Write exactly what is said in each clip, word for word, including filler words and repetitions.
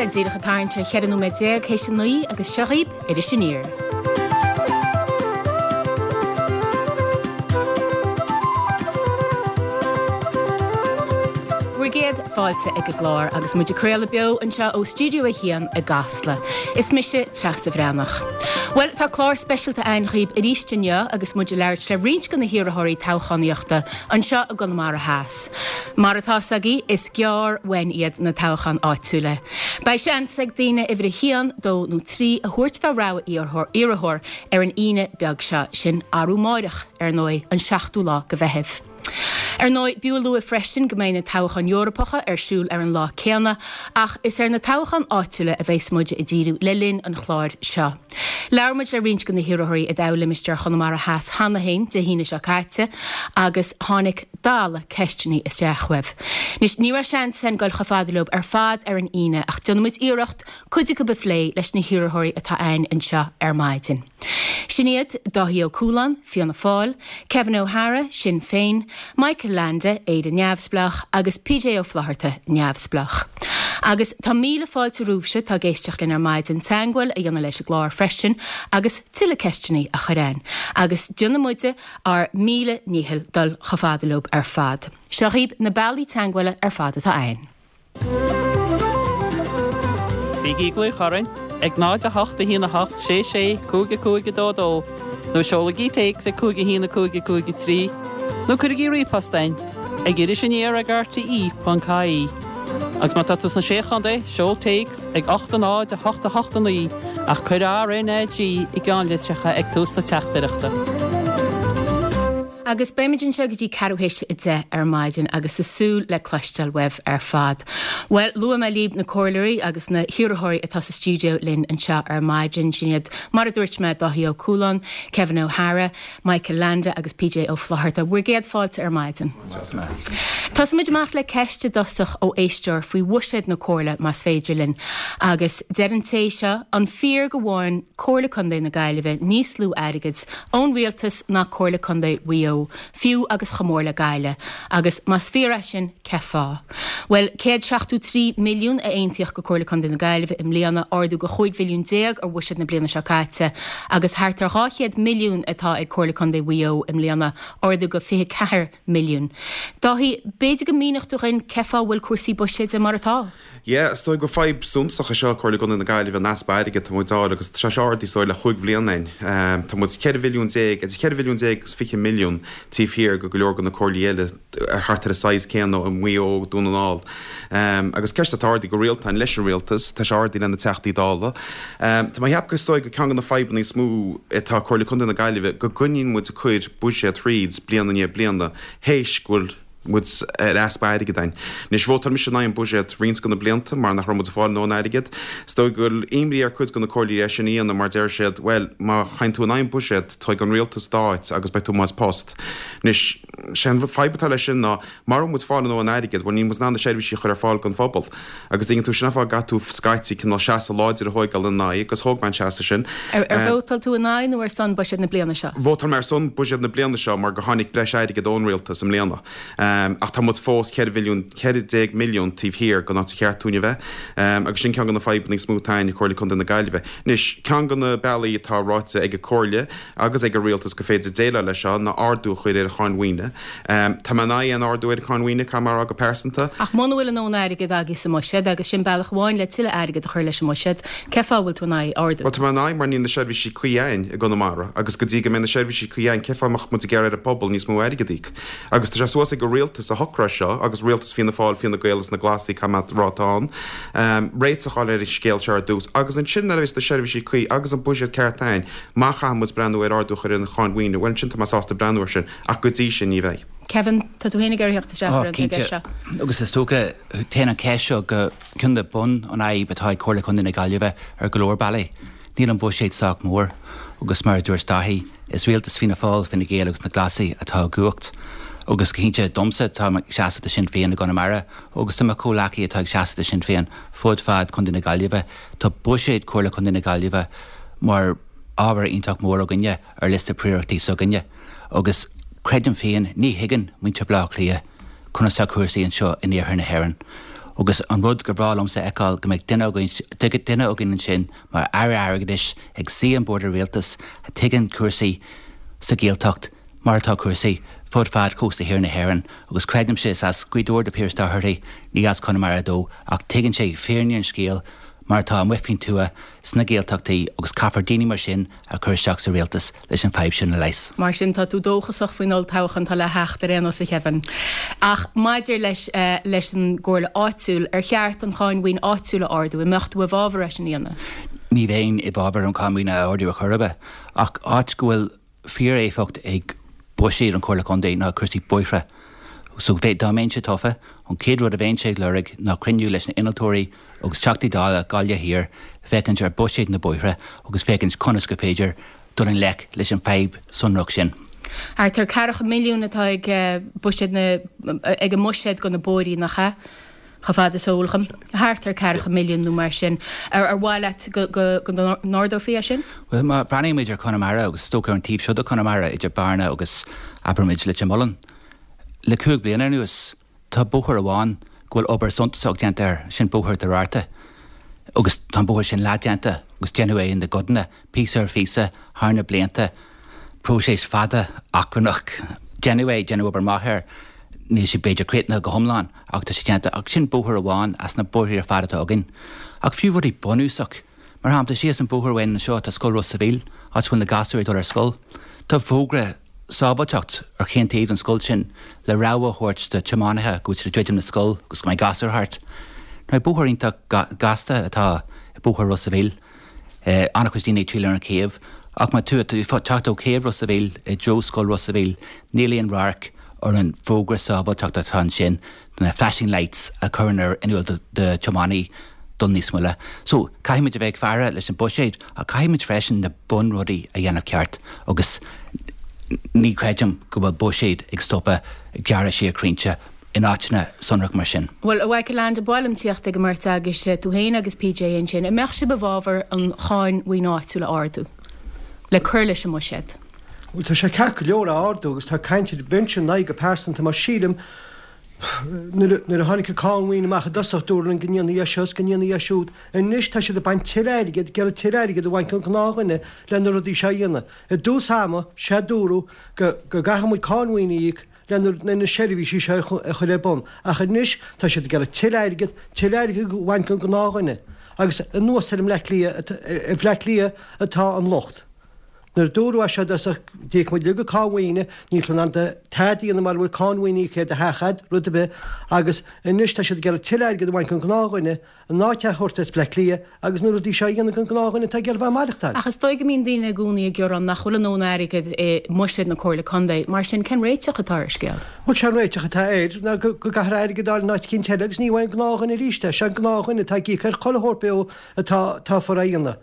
sé díreach ag tarraingt ar cheithre nóiméad déag théis a naoi agus seo dhaoibh Iris Aniar. Bhur gcéad fáilte ag an gclár agus muid ag craoladh beo anseo ó Stiúideo a hAon i gCasla. Is mise Treasa Bhreathnach. Bhuel, tá clár speisialta againn dhaoibh arís inniu agus muid ag labhairt le roinnt de na hiarrthóirí toghchánaíochta anseo i gConamara Theas. Mar atá 's agaibh, is gearr uainn iad na toghcháin áitiúla. Beidh seans ag daoine uimhir a haon, dó nó trí a thabhairt dá rogha iarrthóir ar an Aoine beag seo, sin arú amáireach, ar ndóigh, an seachtú lá de Mheitheamh. Ar ndóigh, b'fhiú a lua freisin go mbeidh na toghcháin Eorpacha ar siúl ar an lá céanna, ach is ar na toghcháin áitiúla a bheas muid ag díriú le linn an chláir seo. Labhair muid le roinnt de na hiarrthóirí i dtoghlimistéar Chonamara Theas cheana féin Dé hAoine seo caite agus tháinig dalladh ceisteanna isteach uaibh. Anois, ní raibh seans againn dul chomh fada leo ar fad ar an Aoine ach déanfaidh muid iarracht cuid acu a phlé leis na hiarrthóirí atá againn anseo ar maidin. Sin iad, Dáithí Ó Cualáin, Fianna Fáil, Kevin O'Hara, Sinn Féin, Michael Leainde, Éire Neamhspleách, agus PJ Ó Flaithearta, Neamhspleách. Agus tá míle fáilte romhaibhse atá ag éisteacht linn ar maidin teagmháil a dhéanamh leis an gclár freisin agus tuilleadh ceisteanna a chur againn. Agus déanfaidh muide ár míle ndícheall dul chomh fada leo ar fad. Seo dhaoibh na bealaí teagmhála ar fad atá againn. Bígí ag glaoch orainn ag náid a hocht a haon a hocht sé sé cúig a cúig a dó dó nó seolaigí téacs ag cúig a haon a cúig a cúig a trí nó cuirigí ríomhphost againn ag iris aniar ag R T E ponc I E. Agus má tá tú sna Sé Chontae, seol téacs ag ocht a náid a hocht a hocht a naoi ach cuir R N A G i gceannlitreacha ag tús na teachtaireachta. Agus beimid anseo go dtí ceathrú théis a deich ar maidin agus ag súil le cloisteáil uaibh ar fad. Bhuel, luaigh mé libh na comhairleoirí agus na hiarrthóirí atá sa stiúideo linn anseo ar maidin. Sin iad, mar a dúirt mé, Dáithí Ó Cualáin, Kevin O'Hara, Michael Leainde agus P J Ó Flaithearta. Bhur gcéad fáilte ar maidin. Tosóimid amach le ceist i dtosach ó éisteoir faoi bhuiséad na Comhairle más féidir linn. Agus deir an té seo, an fíor go bhfaigheann Comhairle Contae na Gaillimhe níos lú airgid ón rialtas ná Comhairle Contae Mhaigh Eo, fiú agus chomh mór le Gaillimh, agus más fíor é sin, cé fáth? Bhuel, céad seachtó trí milliún a aontaíodh go Comhairle Contae na Gaillimhe i mbliana, ardú go chúig mhilliún déag ar bhuiséad na bliana seo caite, agus thart ar dhá chéad milliún atá ag Comhairle Contae Mhaigh Eo i mbliana, ardú go fiche ceathair milliún. Dáithí, b'fhéidir go míneodh tú dhúinn cé fáth bhfuil cúrsaí buiséid mar atá? Yeah, is dóigh gur fadhb suntasach é seo Comhairle Contae na Gaillimhe an easpa airgid atá muid a fháil agus tá sé ardaithe is dóigh le chúig bhliana againn. Tá muid ceithre mhilliún déag, idir ceithre mhilliún déag agus fiche milliún taobh thiar go go leor de na comhairlí eile ar thart ar an size céanna i Maigh Eo, Dún na nGall. Agus ceist atá ardaithe go rialta againn leis an rialtas, tá sé ardaithe le na Teachtaí Dála. Tá mé ag ceapadh is dóigh gur ceann de na fadhbanna is mó atá Comhairle Contae na Gaillimhe go gcoinníonn muid ag cur buiséad thríd bliain i ndiaidh bliana théis go bhfuil muid ar easpa airgid againn. Anois vótáil mise in aghaidh an buiséad roinnt de na blianta mar nach raibh muid ag fáil a ndóthain airgid. Is dóigh go bhfuil imní ar cuid de na comhairlí é sin a dhéanamh mar deir siad, bhuel, má théann tú in aghaidh an buiséad, tógfaidh an rialtas d'áit agus beidh tú amuigh as post. Anois, sé an fadhb atá leis sin ná mura bhfuil muid ag fáil a ndóthain airgid, bhuel níl muid in ann na seirbhísí a chur ar fáil don phobal. Agus tuigeann tú sin an fáth go gcaithfidh tú scaití cineál seasamh láidir a thóigeáil ina aghaidh agus thóg mé an seasamh sin. Ar vótáil tú in aghaidh nó ar son buiséad na bliana seo? Vótáil mé ar son buiséad na bliana seo mar gur tháinig breis airgid ón rialtas i mbliana. Ach tá muid fós ceithre mhilliún, ceithre déag milliún taobh thiar den áit ar cheart dúinn a bheith. Agus sin ceann de na fadhbanna is mó atá againn i Comhairle Contae na Gaillimhe. Anois, ceann de na bealaí atá ráite ag an Comhairle agus ag an rialtas go féidir déileáil leis seo ná ardú a chur ar an cháin mhaoine. Tá mé in aghaidh aon ardú ar an cháin mhaoine, caithfidh mé a rá go pearsanta. Ach muna bhfuil a ndóthain airgid agaibh sa mbuiséad, agus sin bealach amháin le tuilleadh airgid a chur leis an mbuiséad, cé fáth a bhfuil tú in aghaidh ardú? Bhuel, tá mé in aghaidh mar níl na seirbhísí cuí againn i gConamara agus go dtí go mbeidh na seirbhísí cuí againn, cé fáth a mbeadh muid ag iarraidh ar an bpobal níos mó airgid a íoc? Agus tá sé suas ag an rialtas a shocróidh seo, agus rialtas Fianna Fáil, Fine Gael is na Glasaí, caithfidh mé a rá atá ann, réiteach a fháil ar an scéal seo ar dtús, agus ansin nuair a bheas na seirbhísí cuí agus an buiséad ceart againn, má chaithfidh muid breathnú ar ardú a chur ar an cháin mhaoine, bhuel ansin tá mé sásta breathnú air sin, ach go dtí sin ní bheidh. Kevin, tá tú féin ag iarraidh theacht isteach Ó, ar an cinnte. gceist seo. Agus is dócha, téann an cheist seo go ceann de bhun an fhadhb atá ag Comhairle Contae na Gaillimhe ar go leor bealaí. Níl an buiséad sách mór agus mar a dúirt Dáithí, is rialtas Fianna Fáil, Fine Gael agus na Glasaí atá i gcumhacht. Agus go cinnte domsa tá ag seasamh do Sinn Féin i gConamara agus tá mo chomhghleacaithe atá ag seasamh do Sinn Féin fud fad Contae na Gaillimhe. Tá buiséad Comhairle Contae na Gaillimhe mar ábhar iontach mór againne ar liosta príorachtaí s'againne. Agus creidim féin ní thuigeann muintir Bleá Cliath conas tá cúrsaí anseo in iarthar na hÉireann. Agus an rud gur bhreá liomsa a fheiceáil go mbeidh duine againn duine againn ansin mar Aire Airgeadais ag suí an bord rialtais a tuigeann cúrsaí sa Ghaeltacht mar atá cúrsaí fud fad cósta thiar na hÉireann agus creidimse is as Gaoth Dobhair do Pearse Doherty ní as Conamara dó ach tuigeann sé fírinne an scéil mar atá amuigh faoin tuath sna Gaeltachtaí agus caithfear daoine mar sin a chur isteach sa rialtas leis an fadhb sin a leigheas. Mar sin tá tú dóchasach faoin olltoghchán atá le theacht ar aon nós a Kevin. Ach maidir leis uh, leis an gcomhairle áitiúil ar cheart an cháin mhaoin áitiúil a ardú, an mbeadh tú i bhfabhar é sin a dhéanamh. Ní bheinn i bhfabhar an cháin mhaoin a ardú ar chor ar bith ach áit go bhfuil fíor-éifeacht ag buiséad an Chomhairle Contae ná cúrsaí bóithre. So bheith dá mbeinnse tofa an chéad rud a bheinnse ag lorg ná cruinniú leis na innealtóirí agus Teachtaí Dála Gaillimh Thiar féachaint ar buiséad na bóithre agus féachaint conas go féidir dul i ngleic leis an fadhb sonrach sin. Thart ar ceathracha milliún atá ag buiséad na ag an mbuiséad do na bóithrí nach ea? Chomh fada is eol dom. Thart ar ceathracha milliún nó mar sin. Ar ar mhaith leat go go go n-ardófaí é sin? Well má breathnaímid ar Conamara agus is dócha ar an taobh seo de Conamara idir Bearna agus abraimid Leitir Mealláin. Le cúig bliana anuas tá bóthar amháin go bhfuil obair suntasach déanta air sin bóthar Doirarte. Agus tá bóthar sin leathdhéanta agus déanadh é ina gcodanna píosa ar phíosa thar na blianta próiseas fada achrannach déanadh é déanadh obair mhaith air níl sé b'fhéidir críochnaithe go hiomlán ach tá sé déanta ach sin bóthar amháin as na bóithre ar fad atá againn. Ach fiú rudaí bunúsach mar shampla síos an bóthar uainn anseo tá scoil Ros a' Mhíl áit bhfuil na gasúir ag dul ar scoil. Tá fógra sábháilteacht ar chaon taobh an scoil sin le rabhadh a thabhairt do tiománaithe go bhfuil siad ag druidim na scoil agus go mbeidh gasúir thart. Now bóthar iontach gasta atá i bóthar Ros a' Mhíl. Eh, an-chuid daoine ag triall ar an chéibh, ach má tú teacht ó chéibh Ros a' Mhíl i dtreo scoil Ros a' Mhíl, níl aon radharc ar an bhfógra sábháilteachta atá ansin na flashing lights a chuireann ar in iúl do tiománaí dul níos moille. So caithfimid a bheith ag faire leis an buiséad ach caithfimid freisin na bunrudaí a dhéanamh ceart agus ní chreidim go bhfuil buiséad ag stopadh gearradh siar crainnte in áiteanna sonrach mar sin. Well a Mhichael Land bhfuilim tíocht ag mairt agus tú féin agus PJ ansin, an mbeadh sibh i bhfabhar an cháin mhaoin áitiúil a ardú le cur leis an mbuiséad. Well tá sé ceart go leor a ardú agus tá caint bheinnse in aghaidh go pearsanta mar sílim nuair a tháinig an cáin mhaoin amach i dtosach dúradh linn go ndéanfaí é seo is go ndéanfaí é siúd. Anois tá siad ag baint tuilleadh airgid, ag iarraidh tuilleadh airgid a bhaint ón ngnáthdhuine le na rudaí seo a dhéanamh. I dtús ama, sea dúradh go go gcaithfidh muid cáin mhaoin a íoc le na seirbhísí seo a chur ar bun. Ach anois tá siad ag iarraidh tuilleadh airgid, tuilleadh airgid a bhaint ón ngnáthdhuine. Agus anuas ar an mBleá Cliath, ar Bhleá Cliath atá an locht. Nuair a dúradh é seo i dtosach, d'íoc muid uilig cáin mhaoine, níl tú in ann tada a dhéanamh mura bhfuil cáin mhaoine íoctha ar do theach a'd, rud ar bith, agus anois tá siad ag iarraidh tuilleadh airgid a bhaint ón ngnáthdhuine, an áit a thabhairt as Bleá Cliath agus na rudaí seo a dhéanamh don ghnáthdhuine atá ag iarraidh bheith ag maireachtáil. Ach is dóigh go mbíonn daoine i gcónaí ag gearán nach bhfuil a ndóthain airgid i mbuiséad na Comhairle Contae, mar sin cén réiteach atá ar an scéal? Bhuel sé an réiteach atá air ná go gcaithfear airgead a fháil in áit eicínt eile agus ní uaidh an gnáthdhuine arís é, sé an gnáthdhuine atá ag íoc ar chuile shórt beo atá atá fóir a dhéanamh.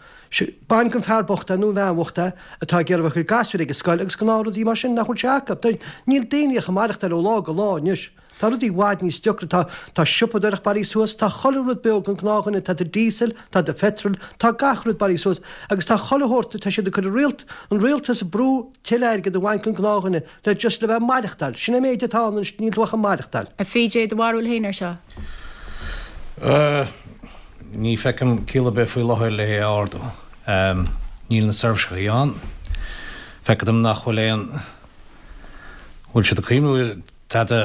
Bain den fear bocht é nó an bhean bhocht é atá ag iarraidh a bheith ag cur gasúir ag an scoil agus gnáthrudaí mar sin nach bhfuil sé acu. Níl daoine ach ag maireachtáil ó lá go lá anois. Tá rudaí i bhfad níos deacra, tá tá siopadóireacht bailithe suas, tá chuile rud beo don ghnáthdhuine, tá do diesel, tá do phetrol, tá gach rud bailithe suas agus tá chuile shórt, tá siad ag cur an rialt, an rialtas ag brú tuilleadh airgid a bhaint den ghnáthdhuine le just le bheith ag maireachtáil. Sin é an méid atá ann anois, níl tú ach ag maireachtáil. A PJ, do bharúil féin ar seo? Ní feicim ciall ar bith faoi láthair le é a ardú. Níl na seirbhísí ann. Feictear dom nach bhfuil aon bhfuil siad ag cuimhniú ar tada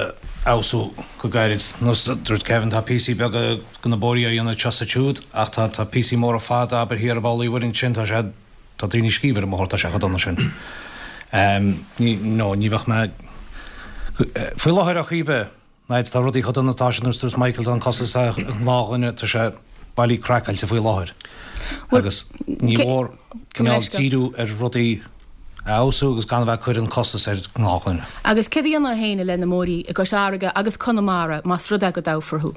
a fheabhsú go gairid. Nós dúirt Kevin tá píosaí beaga de na bóithrí á dhéanamh anseo is ansiúd ach tá tá píosaí móra fada abair thiar i bPoll Uí Mhuirinn ansin tá sé tá daoine ag scríobh ar an mbóthar tá sé chomh dona sin. Ní no ní bheadh mé faoi láthair ar chaoi ar bith. Náid, tá rudaí chomh dona atá siad nós dúirt Michael tá an costas ar an ngnáthdhuine tá sé bailí craiceáilte faoi láthair agus ní mór cineál díriú ar rudaí a fheabhsú agus gan a bheith ag cur an costas ar ghnáthdhuine. Agus céard a dhéanfá féin i leith na mbóithrí i gCois Fharraige agus Conamara más rud é go dtoghfar thú?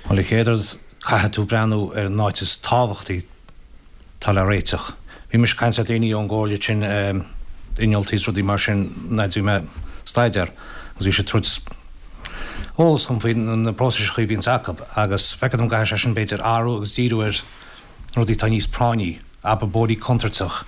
Bhuel, an chéad rud caithfidh tú breathnú ar an áit is tábhachtaí atá le réiteach. Bhí mise ag caint le daoine ón gcomhairle sin, innealtóirí is rudaí mar sin, nuair a bhí mé ag staidéar agus bhí siad ag tabhairt eolas dhom faoi na próisis a bhíonns acu agus feictear dom go gcaithfidh sé sin b'fhéidir athrú agus díriú ar rudaí atá níos práinní, abair bóithrí contúirteach,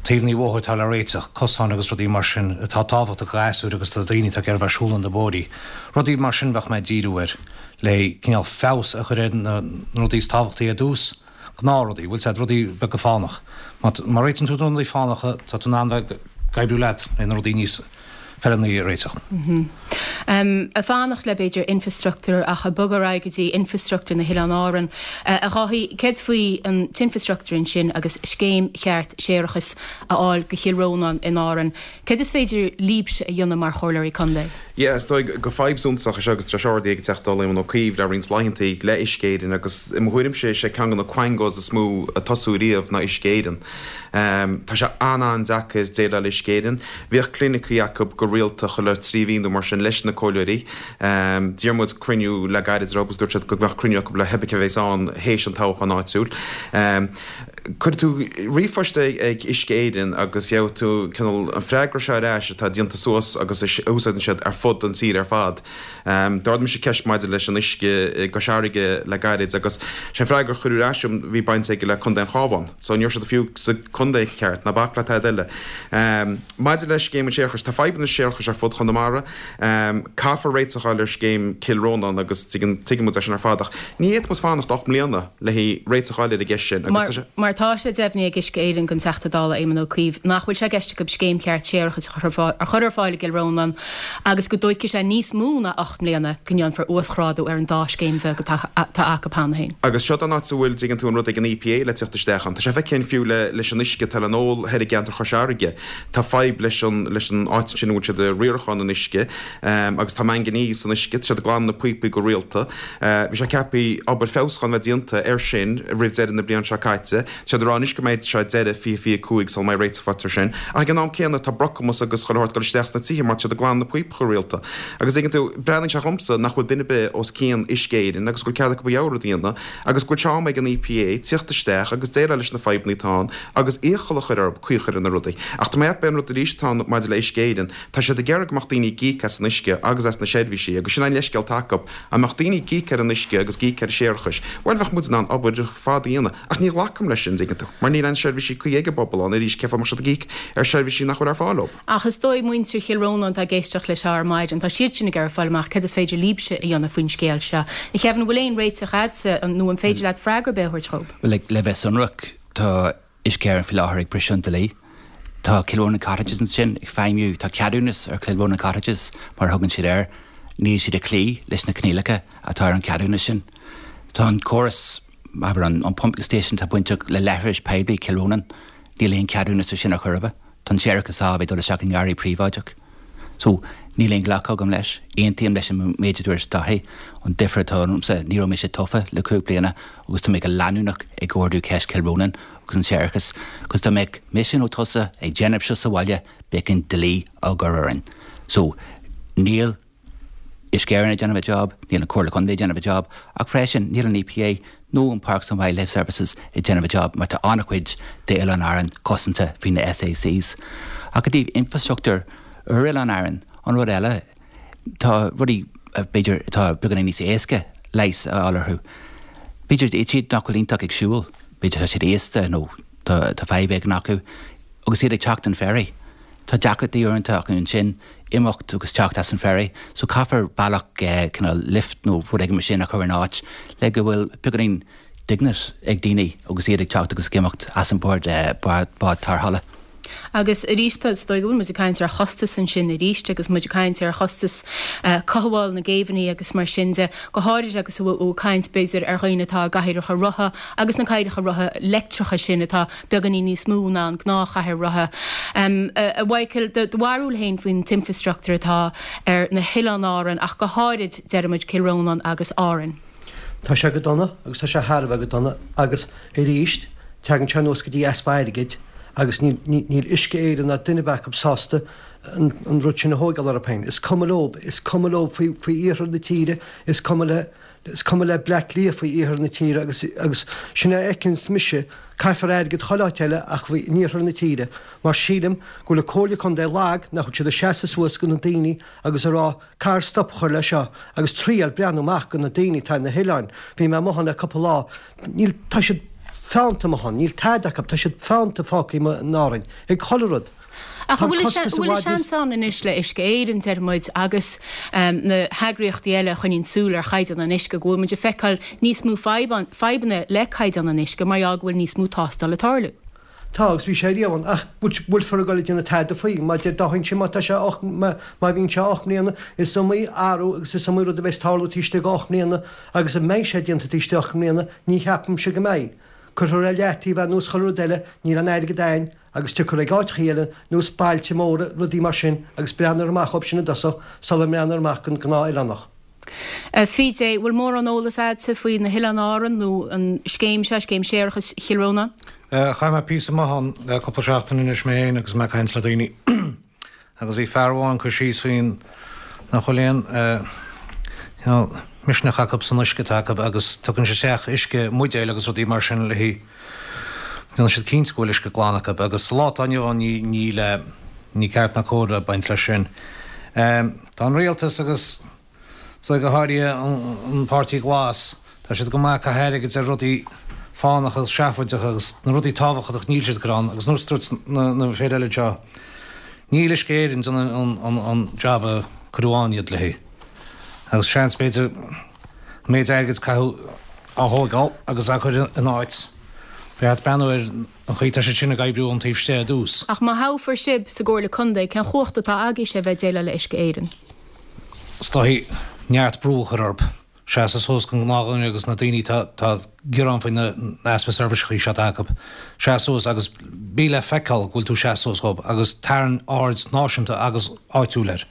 Taobhanna bóthair atá le réiteach, cosáin agus rudaí mar sin atá tábhachtach do ghasúir agus do dhaoine atá ag iarraidh a bheith ag siúl ar na bóithrí. Rudaí mar sin bheadh mé ag díriú air, le cineál feabhas a chur ar na rudaí is tábhachtaí ar dtús, gnáthrudaí, bhfuil 's a'd, rudaí beaga fánach. Má réitíonn tú na rudaí fánacha, tá tú in ann bheith ag oibriú leat le na rudaí níos feiliúnaí a réiteach. Ag fanacht le b'fhéidir infrastruchtúr ach ag bogadh ar aghaidh go dtí infrastruchtúr na hOileáin Árann. A Dháithí, céard faoi an t-infrastruchtúr ansin agus scéim cheart séarachais a fháil go Chill Rónáin in Árainn? Céard is féidir libhse a dhéanamh mar chomhairleoirí contae? Yeah, is dóigh gur fadhb suntasach é seo agus tá sé ardaithe ag an Teachta Dála Éamon Ó Cuív le roinnt laethantaí le Uisce Éireann agus i mo thuairimse is é ceann de na quangos is mó a tosú riamh ná Uisce Éireann. Tá sé an-an-deacair déileáil le Uisce Éireann. Bhíodh clinicí acu go rialta chuile trí mhí nó mar sin leis na comhairleoirí. D'iarr muid cruinniú le gairid orthu agus dúirt siad go mbeadh cruinniú acu le hé cibé a bheas ann théis an toghcháin áitiúil. Cuirfidh tú ríomhphost ag Uisce Éireann agus gheobhaidh tú cineál an freagra seo ar ais atá déanta suas agus a úsáideann siad ar fud an tír ar fad. D'ardaigh mise ceist maidir leis an uisce i gCois Fharraige le gairid agus sé an freagra a cuireadh ar ais agam bhí baint aige le Contae an Chabháin. So ní raibh siad fiú sa contae ceart, ná bac le tada eile. Maidir le scéim an tséarachais, tá fadhbanna séarachais ar fud Chonamara. Caithfear réiteach a fháil ar scéim Cill Rónáin agus tuigeann muid é sin ar fad ach ní fhéadfaidh muid fanacht ocht mbliana le haghaidh réiteach a fháil ar an gceist sin agus tá sé Mar tá sé deimhnithe ag Uisce Éireann don Teachta Dála Éamon Ó Cuív nach bhfuil sé i gceist acu scéim cheart séarachais a chur ar fáil i gCill Rónáin agus go dtógfaidh sé níos mó ná ocht mbliana go ndéanfar uasghrádú ar an dá scéim bheag atá acu cheana féin. Agus seo an áit a bhfuil, dtuigeann tú, an rud ag an EPA le teacht isteach ann. Tá sé feicthe againn fiú le leis an uisce atá le n-ól thoir i gceantar Chois Fharraige. Tá fadhb leis an leis an áit ansin a bhfuil siad ag riarachán an uisce agus tá manganese san uisce, tá siad ag glanadh na píopaí go rialta. Bhí sé ceaptha obair feabhsúcháin a bheith déanta air sin roimh deireadh na bliana seo caite. Tá siad ag rá anois go mbeidh sé deireadh fiche fiche cúig sula mbeidh réiteach faighte air sin. Ach ag an am céanna tá brocamas agus chuile shórt ag dul isteach sna tithe mar tá siad ag glanadh na píopaí go rialta. Agus tuigeann tú, breathnaíonn sé dhomsa nach bhfuil duine ar bith os cionn Uisce Éireann agus go bhfuil cead acu a rogha rud a dhéanamh agus go bhfuil sé am ag an EPA tíocht isteach agus déileáil leis na fadhbanna atá ann agus iachall a chur orthu caoi a chur ar na rudaí. Ach tá mé ag ceapadh an rud arís atá ann maidir le Uisce Éireann, tá siad ag iarraidh go mbeadh daoine ag íoc as an uisce agus as na seirbhísí agus sin an leithscéal atá acu, dá mbeadh daoine ag íoc ar an uisce agus ag íoc ar an séarachais, bhuel bheadh muid in ann obair fada a dhéanamh. Ach ní ghlacaim leis sin, dtuigeann tú, mar níl aon seirbhísí cuí ag an bpobal ann arís, cén fáth a mbeadh siad ag íoc ar seirbhísí nach bhfuil ar fáil dóibh? Ach is dóigh muintir Chill Rónáin atá ag éisteacht leis seo ar maidin, tá siad sin ag iarraidh fáil amach céard is féidir libhse a dhéanamh faoin scéal seo. A Kevin, an bhfuil aon réiteach agatsa nó an féidir leat freagra ar bith a thabhairt dhóibh? Bhuel, le bheith sonrach, tá Uisce Éireann faoi láthair ag briseadh an dlí. Tá Kilronan Cottages ansin ag feidhmiú, tá ceadúnas ar Kilronan Cottages mar a thugann siad air, níl siad ag cloí leis na coinníollacha atá ar an cheadúnas sin. Tá an córas, abair an pumping station atá bainteach le leithris poiblí Chill Rónáin, níl aon cheadúnas ar sin ar chor ar bith. Tá an séarachas á bheith dul isteach i ngarraí príobháideach. So, níl aon ghlacadh agam leis. Aontaím leis an méid a dúirt Dáithí. An difear atá ionamsa, ní raibh mise tofa le cúig bliana agus tá mé go leanúnach ag ardú ceist Chill Rónáin agus an séarachas. Agus dá mbeadh mise nó tusa ag déanamh seo sa bhaile, bheadh an dlí á gcur orainn. So, níl Uisce Éireann ag déanamh a job, níl an Comhairle Contae ag déanamh a job, ach freisin níl an EPA nó an Parks and Wildlife Services ag déanamh a job mar tá an-chuid d'Oileáin Árann cosanta faoi na SACs. Ach i dtaobh infrastruchtúr ar Oileáin Árann, an rud eile, tá rudaí b'fhéidir atá beagáinín níos éasca leigheas a fháil orthu. B'fhéidir iad nach bhfuil iontach ag siúl, b'fhéidir tá siad aosta nó tá tá fadhb éigin acu agus iad ag teacht an ferry. Tá deacrachtaí uaireanta acu ansin imeacht agus teacht as an ferry, so caithfear bealach cineál lift nó rud éigin mar sin a chur in áit le go bhfuil beagáinín dignity ag daoine agus iad ag teacht agus ag imeacht as an bord bád tarrthála. Agus arís is dóigh go bhfuil muid ag caint ar chostas ansin arís agus muid ag caint ar chostas cothabháil na gcéibheanna agus mar sin de, go háirid agus tú ag caint b'fhéidir ar dhaoine atá i gcathaoireacha rotha agus na cathaoireacha rotha leictreacha sin atá beagáinín níos mó ná an gnáthchathaoir rotha. A Mhichael, do bharúil féin faoin t-infrastruchtúr atá ar na hOileáin Árann ach go háirid, deir muid, Cill Rónáin agus Árainn. Tá sé go dona agus tá sé thar a bheith go dona agus arís tagann sé anuas go dtí easpa airgid agus níl níl Uisce Éireann ná duine ar bith acu sásta an an rud sin a thógáil orthu féin. Is cuma leo, is cuma leo faoi faoi iarthar na tíre, is cuma le is cuma le Bleá Cliath faoi iarthar na tíre agus agus sin a fheiceanns mise, caithfear airgead chuile áit eile ach faoi in iarthar na tíre mar sílim go bhfuil an Comhairle Contae lag nach bhfuil siad ag seasamh suas go na daoine agus a rá caithfear stop a chur le seo agus triail breathnú amach go na daoine atá na hoileáin. Bhí mé amuigh ann le cúpla lá, níl tá siad Feannta amuigh ann, níl tada acu, tá siad feannta fágtha in Árainn, ag chuile rud. Ach an bhfuil a seans ann anois le Uisce Éireann, deir muid, agus na heagraíochtaí eile a choinníonn súil ar chaighdeán an uisce, go bhfuil muid ag feiceáil níos mó fadhbanna le caighdeán an uisce mar gheall go bhfuil níos mó tástáil ag tarlú? Tá, agus bhí sé riamh ann, ach bhfuilfear ag dul ag déanamh tada faoi? Má deir Dáithí ansin má tá sé ocht, má bhíonn sé ocht mbliana, is iomaí athrú agus is iomaí rud a bheas ag tarlú taobh istigh de ocht mbliana agus an mbeidh sé déanta taobh istigh de ocht mbliana, ní cheapaimse go mbeidh. Cuirfear ar leataobh é nós chuile rud eile, níl an airgead a'ainn agus tiocfar ag áiteachaí eile nós bailte móra, rudaí mar sin agus breathnófar amach dhóibh sin i dtosach sula mbreathnófar amach don ghnáth-oileánach. PJ, Bhfuil mórán eolas a'dsa faoi na hOileáin Árann nó an scéim seo, Scéim Séarachais Chill Rónáin? Chaith mé píosa maith ann le cúpla seachtain anois mé féin agus mé ag caint le daoine agus bhí fear amháin cur síos faoin nach bhfuil aon misneach acu san uisce atá acu agus tugann siad isteach uisce mbuidéil agus rudaí mar sin le déanann siad cinnte go bhfuil uisce glan acu agus sa lá atá inniu ann ní níl ní ceart ná cóir a baint leis sin. Tá an rialtas agus so go háirithe an Páirtí Glas, tá siad go maith ag caitheamh airgid ar rudaí fánacha agus seafóideacha agus na rudaí tábhachtacha níl siad ag cur ann agus nós dúirt na fir eile anseo, níl Uisce Éireann déanamh an an jab a cuireadh ann iad léi. Agus seans b'fhéidir an méid airgid a caitheadh á thógáil agus á chur in áit, ba cheart breathnú ar an chaoi atá siad sin ag oibriú ón taobh istigh ar dtús. Ach má thoghfar sibh sa gComhairle Contae, cén chumhacht atá agaibhse a bheith ag déileáil le Uisce Éireann? Is dóichí neart brú a chur orthu seasamh suas don ghnáthdhuine agus na daoine atá ag gearán faoi na easpa seirbhíseachaí seo atá acu, seas suas agus bí le feiceáil go bhfuil tú ag seasamh suas dhóibh agus tarraing aird náisiúnta agus áitiúil air.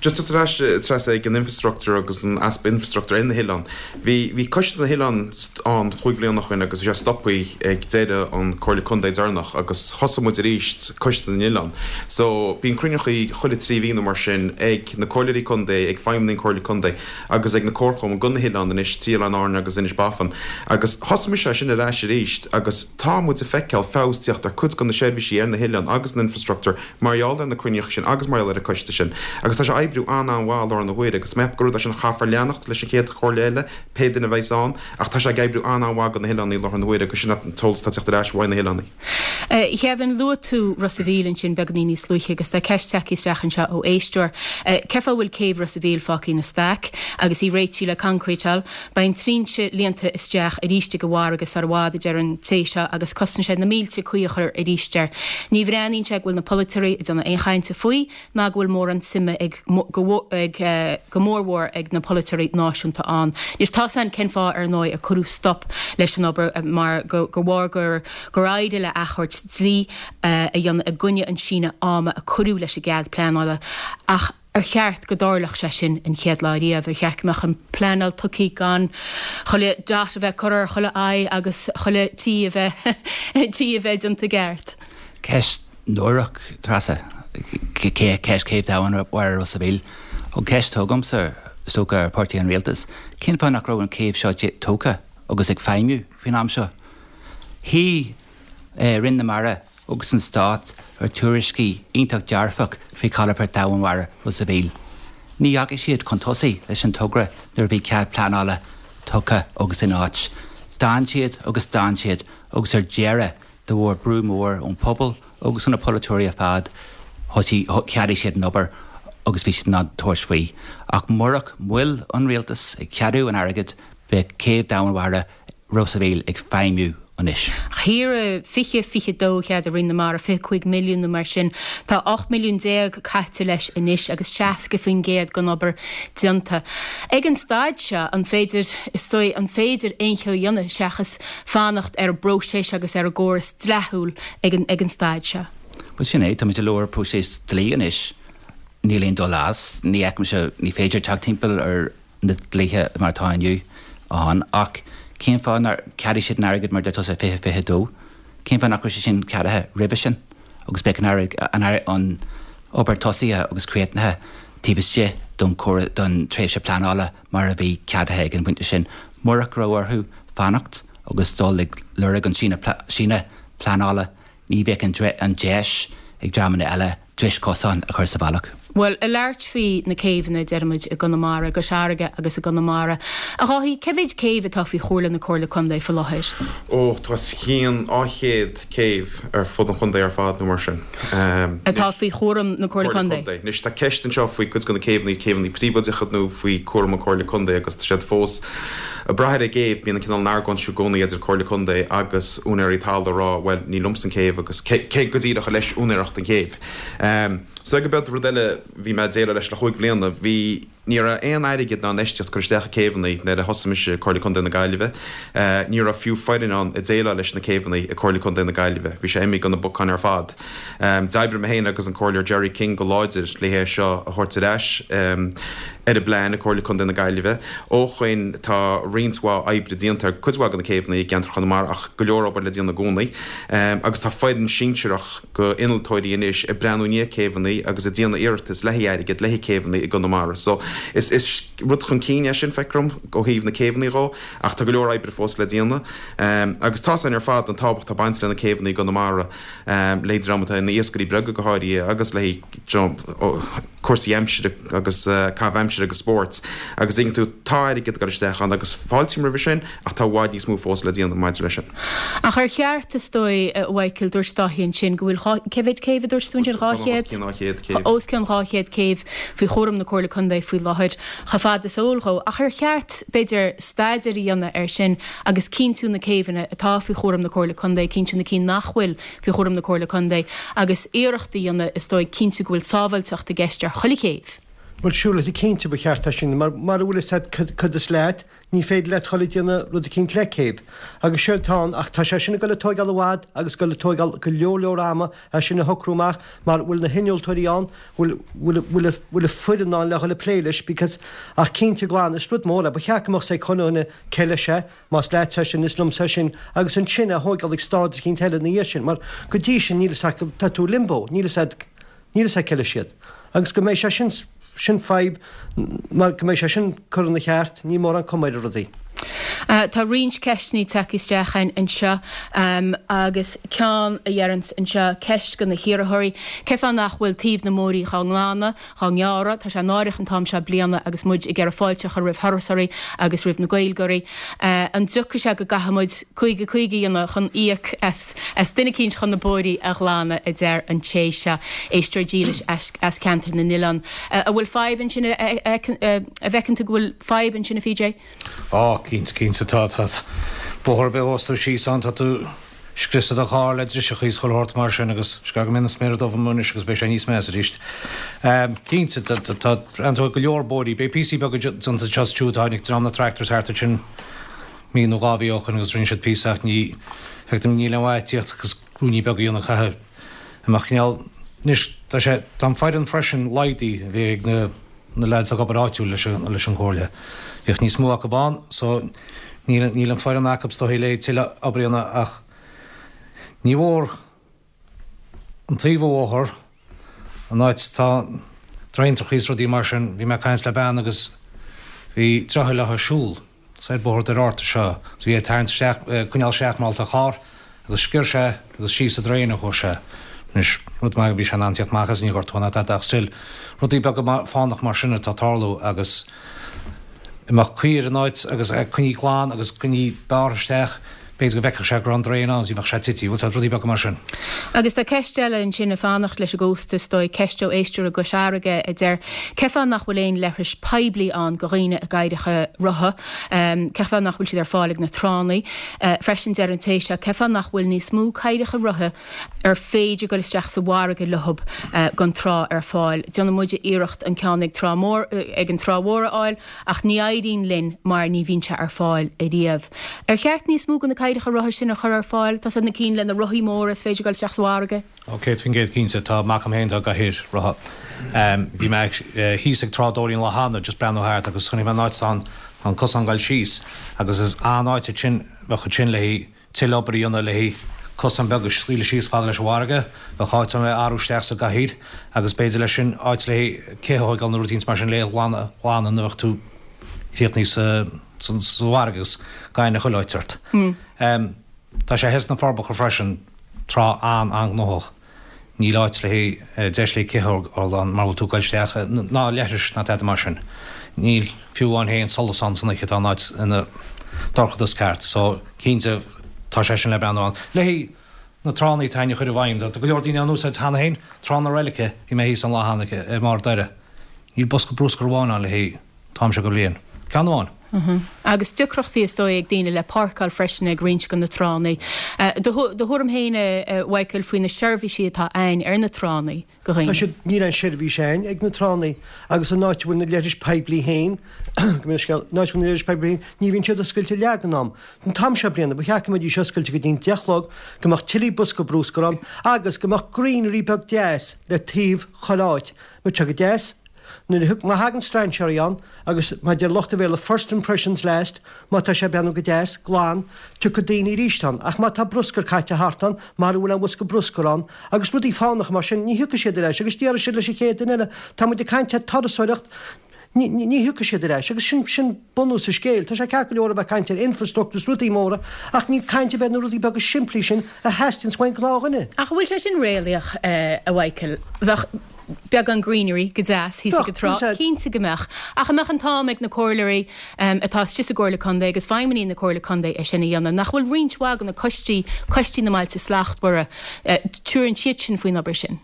Just tar ais Treasa ag an infrastructure agus an easpa infrastructure ar na hoileáin. Bhí bhí Coiste na nOileán ann chúig bliana ó shin agus bhí sé stoptha ag deireadh an Comhairle Contae deireanach agus thosaigh muid arís Coiste na nOileán. So bíonn cruinneachaí chuile trí mhí nó mar sin ag na comhairleoirí contae, ag feidhmeannaigh an Comhairle Contae agus ag na comharchumainn go na hoileáin anois, trí Oileáin Árann agus Inis Bafan. Agus thosaigh mise é sin ar ais arís agus tá muid ag feiceáil feabhas tíocht ar cuid de na seirbhísí ar na hoileáin agus an infrastructure mar gheall ar na cruinneachaí sin agus mar gheall ar an coiste sin. Agus tá sé ag oibriú an-an-mhaith i láthair na huaire agus tá mé ag ceapadh gur rud é sin a chaithfear leanacht leis an chéad chomhairle eile, pé duine a bheas ann, ach tá sé ag oibriú an-an-mhaith go na hoileáin i láthair na huaire agus sin an t-eolas atá ag teacht ar ais uaidh na hoileáin. A Kevin, luaigh tú Ros a' Mhíl ansin beagáinín níos luaithe agus tá ceist tagtha isteach anseo ó éisteoir. Cén fáth a bhfuil céibh Ros a' Mhíl fágtha ina staic agus í réitithe le concretáil? Beidh an trinse líonta isteach arís ag an bhfarraige sar i bhfad, a deir an té seo, agus cosnaíonn sé na mílte caoi a chur arís air. Ní bhreathnaíonn sé go bhfuil na polaiteoirí ag déanamh aon chainte faoi ná go bhfuil mórán suime ag go ag go mórmhór ag na polaiteoirí náisiúnta ann. Anois tá a fhios againn cén fáth ar ndóigh ar cuireadh stop leis an obair mar go gur bharr gur gur éirigh le achomharc dlí a dhéanamh i gcoinne an síneadh ama a cuireadh leis an gcead pleanála ach ar cheart go dtarlódh sé sin an chéad lá riamh? Ar cheart go mbeadh an pleanáil tugtha gan chuile dot a bheith curtha ar chuile I agus chuile T a bheith T a bheith déanta i gceart? Ceist náireach, Treasa. Ceist céibh domhainmhara Ros a' Mhíl. An ceist atá agamsa, is dócha, ar pháirtí an rialtais, cén fáth nach raibh an céibh seo tógtha agus ag feidhmiú faoin am seo? Shuigh Roinn na Mara agus an Stát ar tuairiscí iontach dearfach faoi chalafort domhainmhara Ros a' Mhíl. Ní dheachaigh siad chun tosaigh leis an togra nuair a bhí cead pleanála tugtha agus in áit. D'fhan siad agus d'fhan siad agus ar deireadh de bharr brú mór ón pobal agus ó na polaiteoirí ar fad, thosaigh, cheadaigh siad an obair agus bhí siad in ann tabhairt faoi. Ach murach moill an rialtais ag ceadú an airgid, bheadh céibh domhainmhara Ros a' Mhíl ag feidhmiú anois. Thiar i fiche fiche dó cheadaigh Roinn na Mara fiche cúig milliún nó mar sin. Tá ocht milliún déag caite leis anois agus seasca faoin gcéad den obair déanta. Ag an staid seo, an féidir, is dóigh, an féidir aon cheo a dhéanamh seachas fanacht ar an bpróiseas agus ar an gcóras dleathúil ag an ag an staid seo? Bhuel, sin é, táimid i lár próiseas dlí anois. Níl aon dul as. Ní fheicimse, ní féidir teacht timpeall ar na dlíthe mar atá inniu ann ach cén fáth nár cheadaigh siad an airgead mar deir tusa fiche fiche dó? Cén fáth nach raibh sé sin ceadaithe roimhe sin agus beidh an an obair tosaithe agus críochnaithe taobh istigh don don tréimhse pleanála mar a bhí ceadaithe ag an bpointe sin. Murach go raibh orthu fanacht agus dul ag lorg an síneadh pleanála ní bheadh an deis ag dreamanna eile dris chosáin a chur sa bhealach. Bhuel, ag labhairt faoi na céibheanna, deirimid, i gConamara, i gCois Fharraige agus i gConamara. A Dháithí, cé mhéid céibh atá faoi chúram na Comhairle Contae faoi láthair? Ó, tá os cionn dhá chéad céibh ar fud an chontae ar fad nó mar sin. Atá faoi chúram na Comhairle Contae? Anois, tá ceist anseo faoi cuid de na céibheanna, céibheanna príobháideacha nó faoi chúram an Chomhairle Contae agus tá siad fós ag brath ar an gcéibh. Bíonn an cineál argóint seo i gcónaí idir Comhairle Contae agus úinéirí talaimh ag rá, bhuel, ní liomsa an céibh agus cé go díreach ar leis úinéireacht an chéibh. So go beag rud eile bhí mé ag déileáil leis le chúig bhliana, bhí, ní raibh aon airgead ná infheistíocht curtha isteach i céibheanna nuair a thosaigh mise i Comhairle Contae na Gaillimhe. Ní raibh fiú foireann ann ag déileáil leis na céibheanna i Comhairle Contae na Gaillimhe. Bhí sé imithe go na bacáin ar fad. D'oibrigh mé féin agus an Comhairleoir Gerry King go láidir le hé seo a thabhairt ar ais ar an bplean i Comhairle Contae na Gaillimhe. Ó shoin tá roinnt mhaith oibre déanta ar cuid mhaith de na céibheanna i gceantar Chonamara ach go leor obair le déanamh i gcónaí. Agus tá foireann sinsearach go innealtóirí anois ag breathnú i ndiaidh céibheanna agus ag déanamh iarratas le haghaidh airgead le haghaidh céibheanna i gConamara. So is is rud chun cinn é sin, feictear dom, ó thaobh na céibheanna dhó, ach tá go leor oibre fós le déanamh. Agus tá's againn ar fad an tábhacht atá bainte le na céibheanna i gConamara, le dream atá ina iascairí beaga go háirithe agus le cúrsaí aimsire agus caitheamh aimsire agus spóirt. Agus tuigeann tú, tá airgead ag dul isteach ann agus fáiltím roimhe sin ach tá i bhfad níos mó fós le déanamh maidir leis sin. Ach ar cheart, is dóigh, a Mhichael, dúirt Dáithí ansin go bhfuil dhá, cé mhéad céibh a dúirt tú ansin, dhá chéad? Os cionn dhá chéad céibh. Os cionn dhá chéad céibh faoi chúram na Comhairle Contae faoi láthair, chomh fada is eol dhó. Ach ar cheart, b'fhéidir, staidéar a dhéanamh air sin agus cinntiú na céibheanna atá faoi chúram na Comhairle Contae, cinntiú na cinn nach bhfuil faoi chúram na Comhairle Contae agus iarracht a dhéanamh, is dóigh, cinntiú go bhfuil sábháilteacht i gceist ar chuile chéibh. Bhuel, siúr, cinnte ba cheart é sin, mar mura bhfuil fhios agat cad is leat, ní féidir leat dhul ag déanamh rud eicínt le céibh. Agus séard atá ann, ach tá sé sin ag dul ag tóigeáil i bhfad agus ag dul ag tóigeáil go leor leor ama é sin a shocrú amach mar bhfuil na hinnealtóirí ann, bhfuil, bhfuil, bhfuil, bhfuil an foireann ann le dhul ag plé leis because, ach cinnte glan, is rud mór é, ba cheart go mbeadh sé ag chuile dhuine cé leis é, más leat é sin, is liomsa é sin, agus ansin é a thóigeáil ag stáid eicínt eile ina dhiaidh sin, mar go dtí sin níl fhios acu, tá tú i limbo, níl fhios agat, níl fhios agat cé leis iad. Agus go mbeidh sé sin, sin fadhb, mar go mbeidh sé sin curtha ina cheart, níl mórán cuma ar rudaí. Tá roinnt ceisteanna tagtha isteach anseo agus ceann a dheireanns anseo, ceist go na hiarrthóirí, cén fáth nach bhfuil taobh na mbóithrí dhá nglanadh, dhá ngearradh? Tá sé náireach an t-am seo bliana agus muid ag iarraidh fáilte a chur roimh thurasóirí agus roimh na Gaeilgeoirí. An dtiocfaidh sé go gcaithfidh muid caoga caoga a dhéanamh chun íoc as as duine eicínt chun na bóithrí a ghlanadh, a deir an té seo, éisteoir dílis as as Ceantar na nOileán. An bhfuil fadhb ansin a bhfeiceann tú go bhfuil fadhb ansin a PJ? Á, cinnte, cinnte tá, tá. Bóthar ar bith a ghabhfas tú síos ann, tá tú ag scriosadh do charr le driseachaí is chuile shórt mar sin agus is go mbíonn an sméar dubh amuigh anois agus beidh sé níos measa arís. Cinnte, tá, tá, tá go leor bóithrí, beidh píosaí beaga déanta anseo is ansiúd, tháinig dream na tractors thart ansin mí nó dhá mhí ó shoin agus rinne siad píosa ach ní, feictear dom níl aon mhaith tíocht agus ruainní beaga a dhéanamh caithfidh a mbeadh cineál, anois tá sé, tá an foireann freisin laghdaithe a bhí ag na, na lads ag obair áitiúil leis an, leis an gComhairle. Bhíodh níos mó acu ann so níl, níl an foireann acu is dóigh le tuilleadh obair a dhéanamh ach ní mhór an taobh an bhóthair, an áit tá draenachaí is rudaí mar sin, bhí mé ag caint le bean agus bhí droichead léi ag siúl soir Bóthar Doire Fhatharta seo agus bhí ag tarraingt isteach, coinneáil isteach mar tá carr agus sciorr sé agus síos sa draein a chuaigh sé. Anois, rud maith bhí sé in ann tíocht amach as níor ghortaíodh ná tada ach still, rudaí beaga fánach mar sin atá ag tarlú agus a mbeadh caoi ar an áit agus é coinnithe glan agus coinnithe bearrtha isteach, b'fhéidir go bhfeicfeadh sé go raibh an draein ann is ní bheadh sé tite, bhfuil 's agat, rudaí beaga mar sin. Agus tá ceist eile ansin ag fanacht leis an gcósta, is dóigh, ceist ó éisteoir i gCois Fharraige a deir, Cén fáth nach bhfuil aon leithris poiblí ann go dhaoine i gcathaoireacha rotha? Cén fáth nach bhfuil siad ar fáil ag na tránna? Freisin deir an té seo, Cén fáth nach bhfuil níos mó cathaoireacha rotha ar féidir goil isteach sa bhfarraige leothab gon trá ar fáil? Déanann muide iarracht an ceann ag Trá Mór, ag an Trá Mhór a fháil ach ní éiríonn linn mar ní bhíonn sé ar fáil ariamh. Ar cheart níos mó de na cathaoireacha rotha sin a chur ar fáil? Tá 's agat na cinn le na rothaí móra is féidir dul isteach sa bhfarraige. Ó céad faoin gcéad cinnte. Tá mac agam féin atá i gcathaoir rotha. Bhí mé thíos ag Trá Dóirín lá cheana just breathnú thart agus chonaic mé an áit atá an cosán ag dul síos agus is an-áit ansin bheadh ansin le haghaidh tuilleadh obair a dhéanamh le haghaidh cosán beag a scaoileadh síos fada leis an bhfarraige, bheadh áit ann le athrú isteach sa gcathaoir agus b'fhéidir leis sin áit le haghaidh cé a thógáil nó rud éicint mar sin le glanadh glanadh nuair a bheadh tú críochnaithe sa sa bhfarraige agus gaineamh chuile áit ort. Tá sé thíos sna Forbacha freisin, trá an-an-ghnóthach. Níl áit le haghaidh deis le cith a fháil ann mar bhfuil tú ag goil isteach ná leithris ná tada mar sin. Níl fiú amháin féin solas ann san oíche tá an áit ina dorchadas ceart. So cinnte tá sé sin le breathnú ann. Le haghaidh na tránna atá againn a chur i bhfeidhm, tá go leor daoine á n-úsáid cheana féin, Trá na Reilice, bhí mé thíos an lá cheana i mBarr Doire. Níl bosca bruscair amháin ann le haghaidh an t-am seo de bhliain. Ceann amháin. Agus deacrachtaí is dóigh ag daoine le páirceáil freisin ag roinnt de na tránna. Do thuairim féin, a Mhichael, faoi na seirbhísí atá ann ar na tránna do Tá dhaoine? siad, níl aon seirbhís ann ag na tránna agus an áit a bhfuil na leithris poiblí féin, go mbeidh scéal, an áit a bhfuil na leithris poiblí féin, ní bhíonn siad oscailte leath den am. An t-am seo bliana, ba cheart go mbeidís oscailte go dtí an deich a chlog, go mbeadh tuilleadh bosca bruscair ann agus go mbeadh greenery beag deas le taobh chuile áit. Bheadh sé go deas. Nuair a má thagann strainséirí ann, agus mar a deir lucht an Bhéarla first impressions last, má tá sé ag breathnú go deas, glan, tiocfaidh daoine arís ann. Ach má tá bruscar caite thart ann, mara bhfuil aon bhosca bruscair ann, agus rudaí fánacha mar sin, ní thiocfaidh siad ar ais, agus déarfaidh siad leis an chéad duine eile, tá muid ag caint ar turasóireacht, ní, ní, ní thiocfaidh siad ar ais. Agus sin, sin bunús an scéil. Tá sé ceart go leor a bheith ag caint ar infrastructure is rudaí móra, ach níl caint ar bith ar na rudaí beaga simplí sin a theastaíonns uaidh an gnáthdhuine. Ach an bhfuil sé sin réalaíoch, a Mhichael? Bheadh beagán greenery go deas thíos ag an trá, cinnte go mbeadh. Ach an mbeadh an t-am ag na comhairleoirí atá istigh sa gComhairle Contae agus feidhmeannaigh na Comhairle Contae é sin a dhéanamh? Nach bhfuil roinnt mhaith de na coistí, coistí na mBailte Slachtmhara, tabharann siad sin faoin obair sin?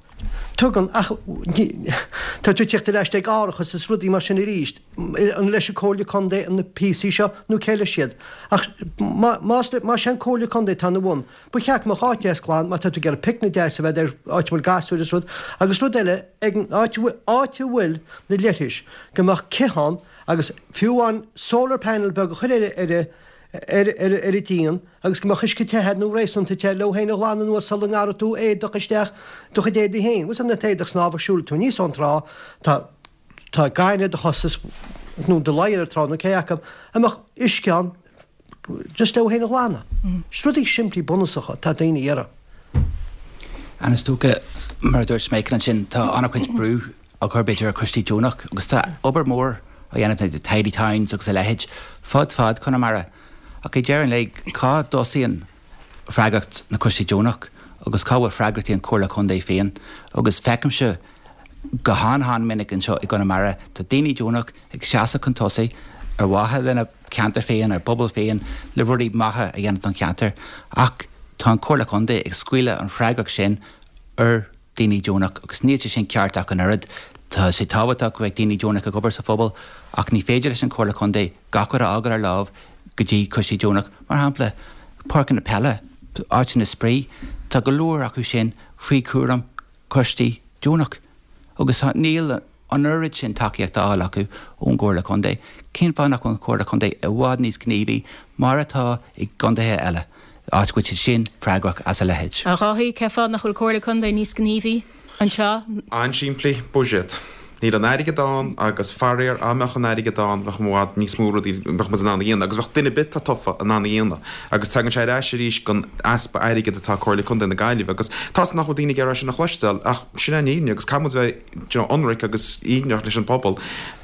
Tugann, ach tá tú ag tíocht ar ais ag árachas is rudaí mar sin arís. An leis an Comhairle Contae na píosaí seo nó cé leis iad? Ach más más é an Comhairle Contae atá ina bhun, ba cheart go mbeadh áit deas glan má tá tú ag iarraidh picnic deas a bheith ar áit a bhfuil gasúir is rud. Agus rud eile, ag an áit áit a bhfuil na leithris, go mbeadh cith ann agus fiú amháin solar panel beag a chur ar ar ar ar ar an díon agus go mbeadh uisce te agat nó réasúnta te leo féin a ghlanadh anuas sula ngearrfaidh tú éadach isteach do chuid éadaí féin. Bhfuil an t-éadach snámha siúlfaidh tú aníos ón trá, tá tá gaineamh ar do chos is nó do ladhar ar an trá nó cé acu, an mbeadh uisce ann just leo féin a ghlanadh. Is rudaí simplí bunúsacha atá daoine a iarraidh. And is dócha, mar a dúirt Michael ansin, tá an-chuid brú á chur b'fhéidir ar choistí deonach agus tá obair mhór á dhéanamh ag Tidy Towns agus a leithéid fud fad Chonamara. Ach ag deireadh an lae, cá dtosaíonn freagracht na coistí deonach agus cá bhfuil freagrachtaí an Chomhairle Contae féin? Agus feicimse go han-han-minic anseo i gConamara, tá daoine deonach ag seasamh chun tosaigh ar mhaithe lena ceantar féin, ar bpobal féin, le rudaí maithe a dhéanamh don cheantar, ach tá an Chomhairle Contae ag scaoileadh an freagracht sin ar daoine deonach agus níl sé sin ceart ach an oiread. Tá sé tábhachtach go mbeidh daoine deonach ag obair sa phobal ach ní féidir leis an Chomhairle Contae gach rud a fhágáil ar láimh go dtí coistí deonach. Mar shampla, páirceanna peile, áiteanna spraoi, tá go leor acu sin faoi chúram coistí deonach agus níl an oiread sin tacaíocht á fháil acu ón gComhairle Contae. Cén fáth nach bhfuil an Chomhairle Contae i bhfad níos gníomhaí mar atá i gcontaetha eile, áit go bhfuil siad sin freagrach as a leithéid? A Dháithí, cén fáth nach bhfuil Comhairle Contae níos gníomhaí anseo? An-simplí, buiséad. Níl an airgead ann agus faraor, dá mbeadh an airgead ann bheadh i bhfad níos mó rudaí bheadh muid in ann a dhéanamh agus bheadh duine ar bith atá tofa in ann a dhéanamh agus tagann sé ar ais arís gon easpa airgid atá ag Comhairle Contae na Gaillimhe agus tá's agam nach bhfuil daoine ag iarraidh sin a chloisteáil ach sin é an fhírinne agus caithfidh muid bheith you know ionraic agus fhírinneach leis an bpobal.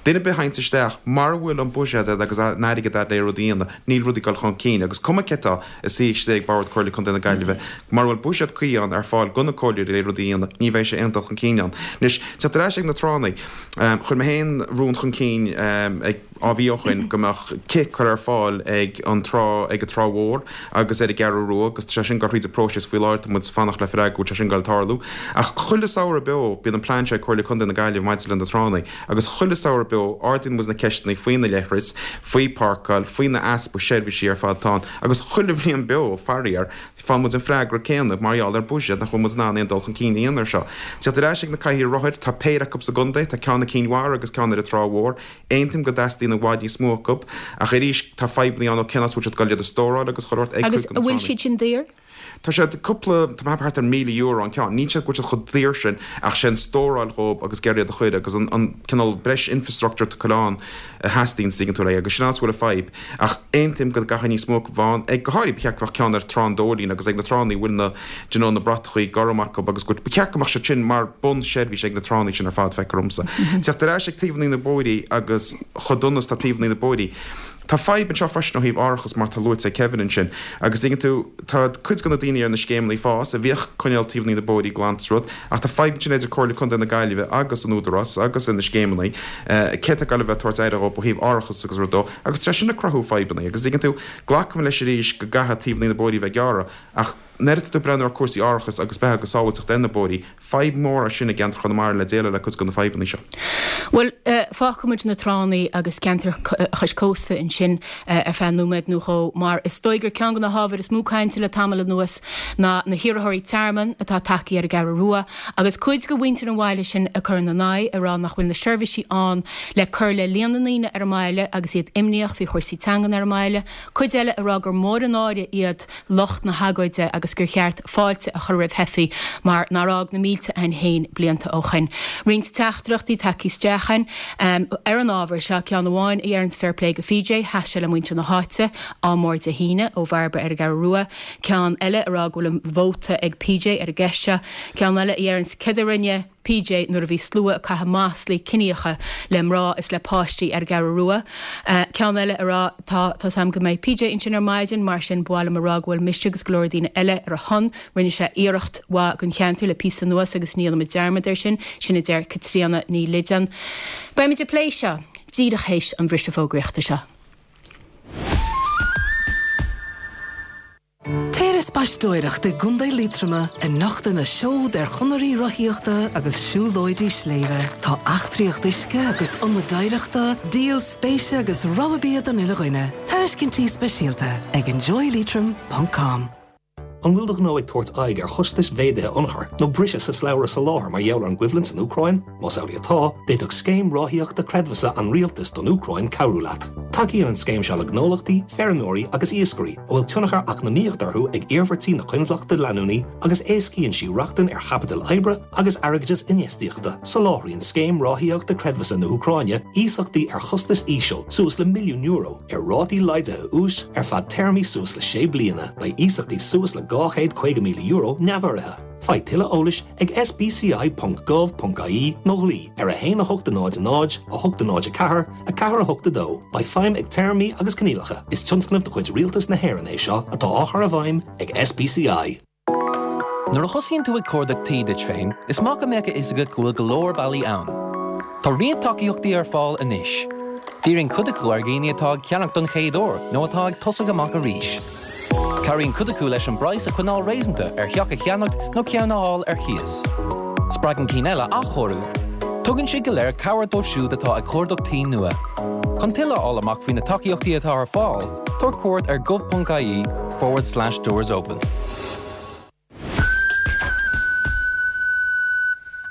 Duine ar bith a thaganns isteach mara bhfuil an buiséad agat agus an airgead agat le rudaí a dhéanamh níl rudaí ag dul chun cinn agus cuma cé atá ag suí istigh ag bord Comhairle Contae na Gaillimhe mara bhfuil buiséad cuí ann ar fáil go na comhairleoirí le rudaí a dhéanamh ní bheidh sé aon dul chun cinn ann. Anois teacht ar ais ag na tránna. Chuir mé féin rún chun cinn ag dhá mhí ó shoin go mbeadh cith curtha ar fáil ag an trá, ag an Trá Mhór agus ar an gCeathrú Rua agus tá sé sin ag dul thríd an bpróiseas faoi láthair, tá muid ag fanacht le freagra go bhfuil sé sin ag dul tarlú. Ach chuile samhradh beo bíonn an plean seo ag Comhairle Contae na Gaillimhe maidir le na tránna agus chuile samhradh beo ardaíonn muid na ceisteanna faoi na leithris, faoi páirceáil, faoi na easpa seirbhísí ar fad atá ann agus chuile bhliain beo, faraor, faigheann muid an freagra céanna mar gheall ar buiséad nach bhfuil muid in ann aon dul chun cinn a dhéanamh ar seo. Teacht ar ais ag na cathaoirí rothair, tá péire acu sa gcontae, tá ceann i gCinn Mhara agus ceann ar an Trá Mhór. Aontaím go dteastaíonn i bhfad níos mó acu, ach arís tá fadhbanna ann ó cén áit a bhfuil siad ag dul iad a stóráil agus chuile shórt ag Agus cuid de an na bhfuil tránna. siad sin daor? Tá siad cúpla, tá mé ag ceapadh thart ar míle euro an ceann. Níl siad go bhfuil siad chomh daor sin ach sé an stóráil dhóib agus ag iarraidh iad a chur agus an an cineál breis infrastructure atá ann a theastaíonn is tuigeann tú le agus sin áit a bhfuil an fadhb. Ach aontaím go gcaithfidh níos mó acu bheith ann. Ag go háirithe ba cheart go mbeadh ceann ar Trá an Dóilín agus ag na tránna a bhfuil na do you know na bratachaí gorm acu agus go ba cheart go mbeadh siad sin mar bunseirbhís ag na tránna sin ar fad feictear dhomsa. Teacht ar ais ag taobhanna na bóithrí agus chomh dona is tá taobhanna na bóithrí. Tá fadhb anseo freisin ó thaobh árachas mar tá luaite ag Kevin ansin agus tuigeann tú tá cuid de na daoine daoine ar na scéimeanna fás a bhíodh ag coinneáil taobhanna na bóithrí glan is rud, ach tá fadhb ansin idir Comhairle Contae na Gaillimhe agus an Údarás agus na scéimeanna, cé atá ag gabháil a bheith ag tabhairt aire dhóibh ó thaobh árachas agus rud dó, agus tá sé sin ag cruthú fadhbanna. Agus dtuigeann tú, glacaim leis arís go gcaithfidh taobhanna na bóithrí a bheith gearrtha, ach nuair atá tú ag breathnú ar chúrsaí árachais agus beatha agus sábháilteacht ar na bóithrí, fadhb mhór é sin i gceantar Chonamara le déileáil le cuid de na fadhbanna seo. Bhuel, fágfaidh muid na tránna agus ceantar chois cósta ansin ar feadh nóiméad nó dhó mar is dóigh gur ceann de na hábhair is mó cainte le tamall anuas ná na hiarrthóirí tearmainn atá tagtha ar an gCeathrú Rua agus cuid de mhuintir an bhaile sin ag cur ina n-aghaidh ag rá nach bhfuil na seirbhísí ann le cur le líon na ndaoine ar an mbaile agus iad imníoch faoi chúrsaí teangan ar an mbaile, cuid eile ag rá gur mór an náire iad lucht na hagóide agus gur cheart fáilte a chur roimh theifigh mar nár fhág na mílte againn féin blianta ó shoin. Roinnt teachtaireachtaí tagtha isteach againn ar an ábhar seo, ceann amháin a dheireanns fair play go PJ, sheas sé le muintir na háite, ádh mór Dé hAoine ó Bhairbre ar an gCeathrú Rua, ceann eile ag rá go bhfuil an vóta ag PJ ar an gceist seo, ceann eile a dheireanns céard a rinne PJ nuair a bhí slua ag caitheamh maslaí ciníocha le mná is le páistí ar an gCeathrú Rua. Ceann eile ag rá tá tá's a'm go mbeidh PJ ansin ar maidin, mar sin ba mhaith liom a rá go bhfuil mise agus go leor daoine eile ar a shon. Rinne sé iarracht mhaith don cheantar le píosa anuas agus ní dhéanfaimid dearmad air sin, sin a deir Caitríona Ní Loideáin. Beimid ag plé seo díreach théis an bhriseadh fógraíochta seo. Téir ag spaisteoireacht i gContae Liatroma ag nochtadh na seod ar chonairí rothaíochta agus siúlóidí sléibhe. Tá eachtraíocht uisce agus ionad oidhreachta, díol spéise agus rogha bia don uile dhuine. Tairiscintí speisialta ag enjoyleitrim ponc com. An bhfuil do ghnó ag tabhairt aghaidh ar chostais mhéadaithe ionchuir nó briseadh sa slabhra soláthair mar gheall ar an gcoimhlint san Úcráin? Más amhlaidh atá, d'fhéadfadh Scéim Ráthaíochta Creidmheasa an Rialtais don Úcráin cabhrú leat. Tacaíonn an scéim seo le gnólachtaí, feirmeoirí agus iascairí a bhfuil tionchar eacnamaíoch orthu ag iarmhairtí na coinbhleachta leanúnaí agus éascaíonn sí rochtain ar chaipiteal oibre agus airgeadas infheistíochta. Soláthraíonn Scéim Ráthaíochta Creidmheasa na hÚcráine iasachtaí ar chostas íseal suas le milliún euro ar rátaí laghdaithe úis ar feadh téarmaí suas le sé bliana. Beidh iasachtaí suas le dhá chéad caoga míle euro neamhurraithe. Faigh tuilleadh eolais ag sbci ponc gov ponc ie nó glaoigh ar a haon a hocht a náid a náid, a hocht a náid a ceathair, a ceathair a hocht a dó. Beidh feidhm ag téarmaí agus coinníollacha. Is tionscnamh de chuid Rialtas na hÉireann é seo atá á chur i bhfeidhm ag SBCI. Nuair a thosaíonn tú ag cuardach tí duit féin, is maith go mbeadh a fhios agat go bhfuil go leor bealaí ann. Tá roinnt tacaíochtaí ar fáil anois. Díríonn cuid acu ar dhaoine atá ag ceannach don chéad uair nó atá ag tosach amach arís. Cabhraíonn cuid acu leis an bpraghas a choinneáil réasúnta ar theach a cheannacht nó ceann a fháil ar chíos. Spreagann cinn eile athchóiriú. Tugann siad go léir cabhair dóibh siúd atá ag cuardach tí nua. Chun tuilleadh a fháil amach faoi na tacaíochtaí atá ar fáil, tabhair cuairt ar gov.ie forward slash doors open.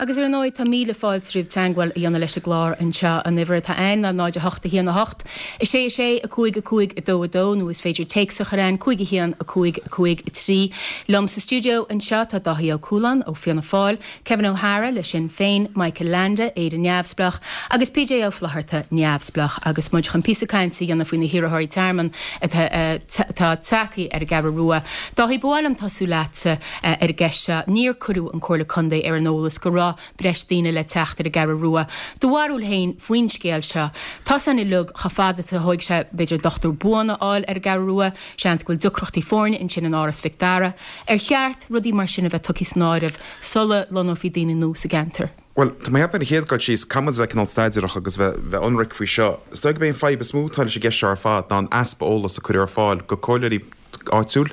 Agus ar ndóigh tá míle fáilte roimh teagmháil a dhéanamh leis an gclár anseo. An uimhir atá ann ná náid a hocht a haon a hocht, a sé a sé, a cúig a cúig a dó a dó nó is féidir téacs a chur ann, cúig a haon, a cúig a cúig a trí. Liom sa stiúideo anseo tá Dáithí Ó Cualáin ó Fianna Fáil, Kevin O'Hara le Sinn Féin, Michael Leainde, Éire Neamhspleách, agus PJ Ó Flatharta, Neamhspleách, agus muid chun píosa cainte a dhéanamh faoi na hiarrthóirí tearmainn atá tagtha ar an gCeathrú Rua. Dáithí, ba mhaith liom tosú leatsa ar an gceist seo. Níor cuireadh an Comhairle Contae ar an eolas go raibh breis daoine le teacht ar an gCeathrú Rua. Do bharúil féin faoin scéal seo? Tá's againn uilig chomh fada is a thóig sé b'fhéidir dochtúir buan a fháil ar an gCeathrú Rua, seans go bhfuil deacrachtaí foirne ansin in Áras Mhic Dara. Ar cheart rudaí mar sin a bheith tugtha san áireamh sula lonnófaí daoine nua sa gceantar? Bhuel, tá mé ag ceapadh ar an chéad dul síos, caithfidh muid a bheith cineál staidéarach agus bheith bheith ionraic faoi seo. Is dóigh gurb é an fadhb is mó atá leis an gceist seo ar fad ná an easpa eolais a cuireadh ar fáil go comhairleoirí áitiúil,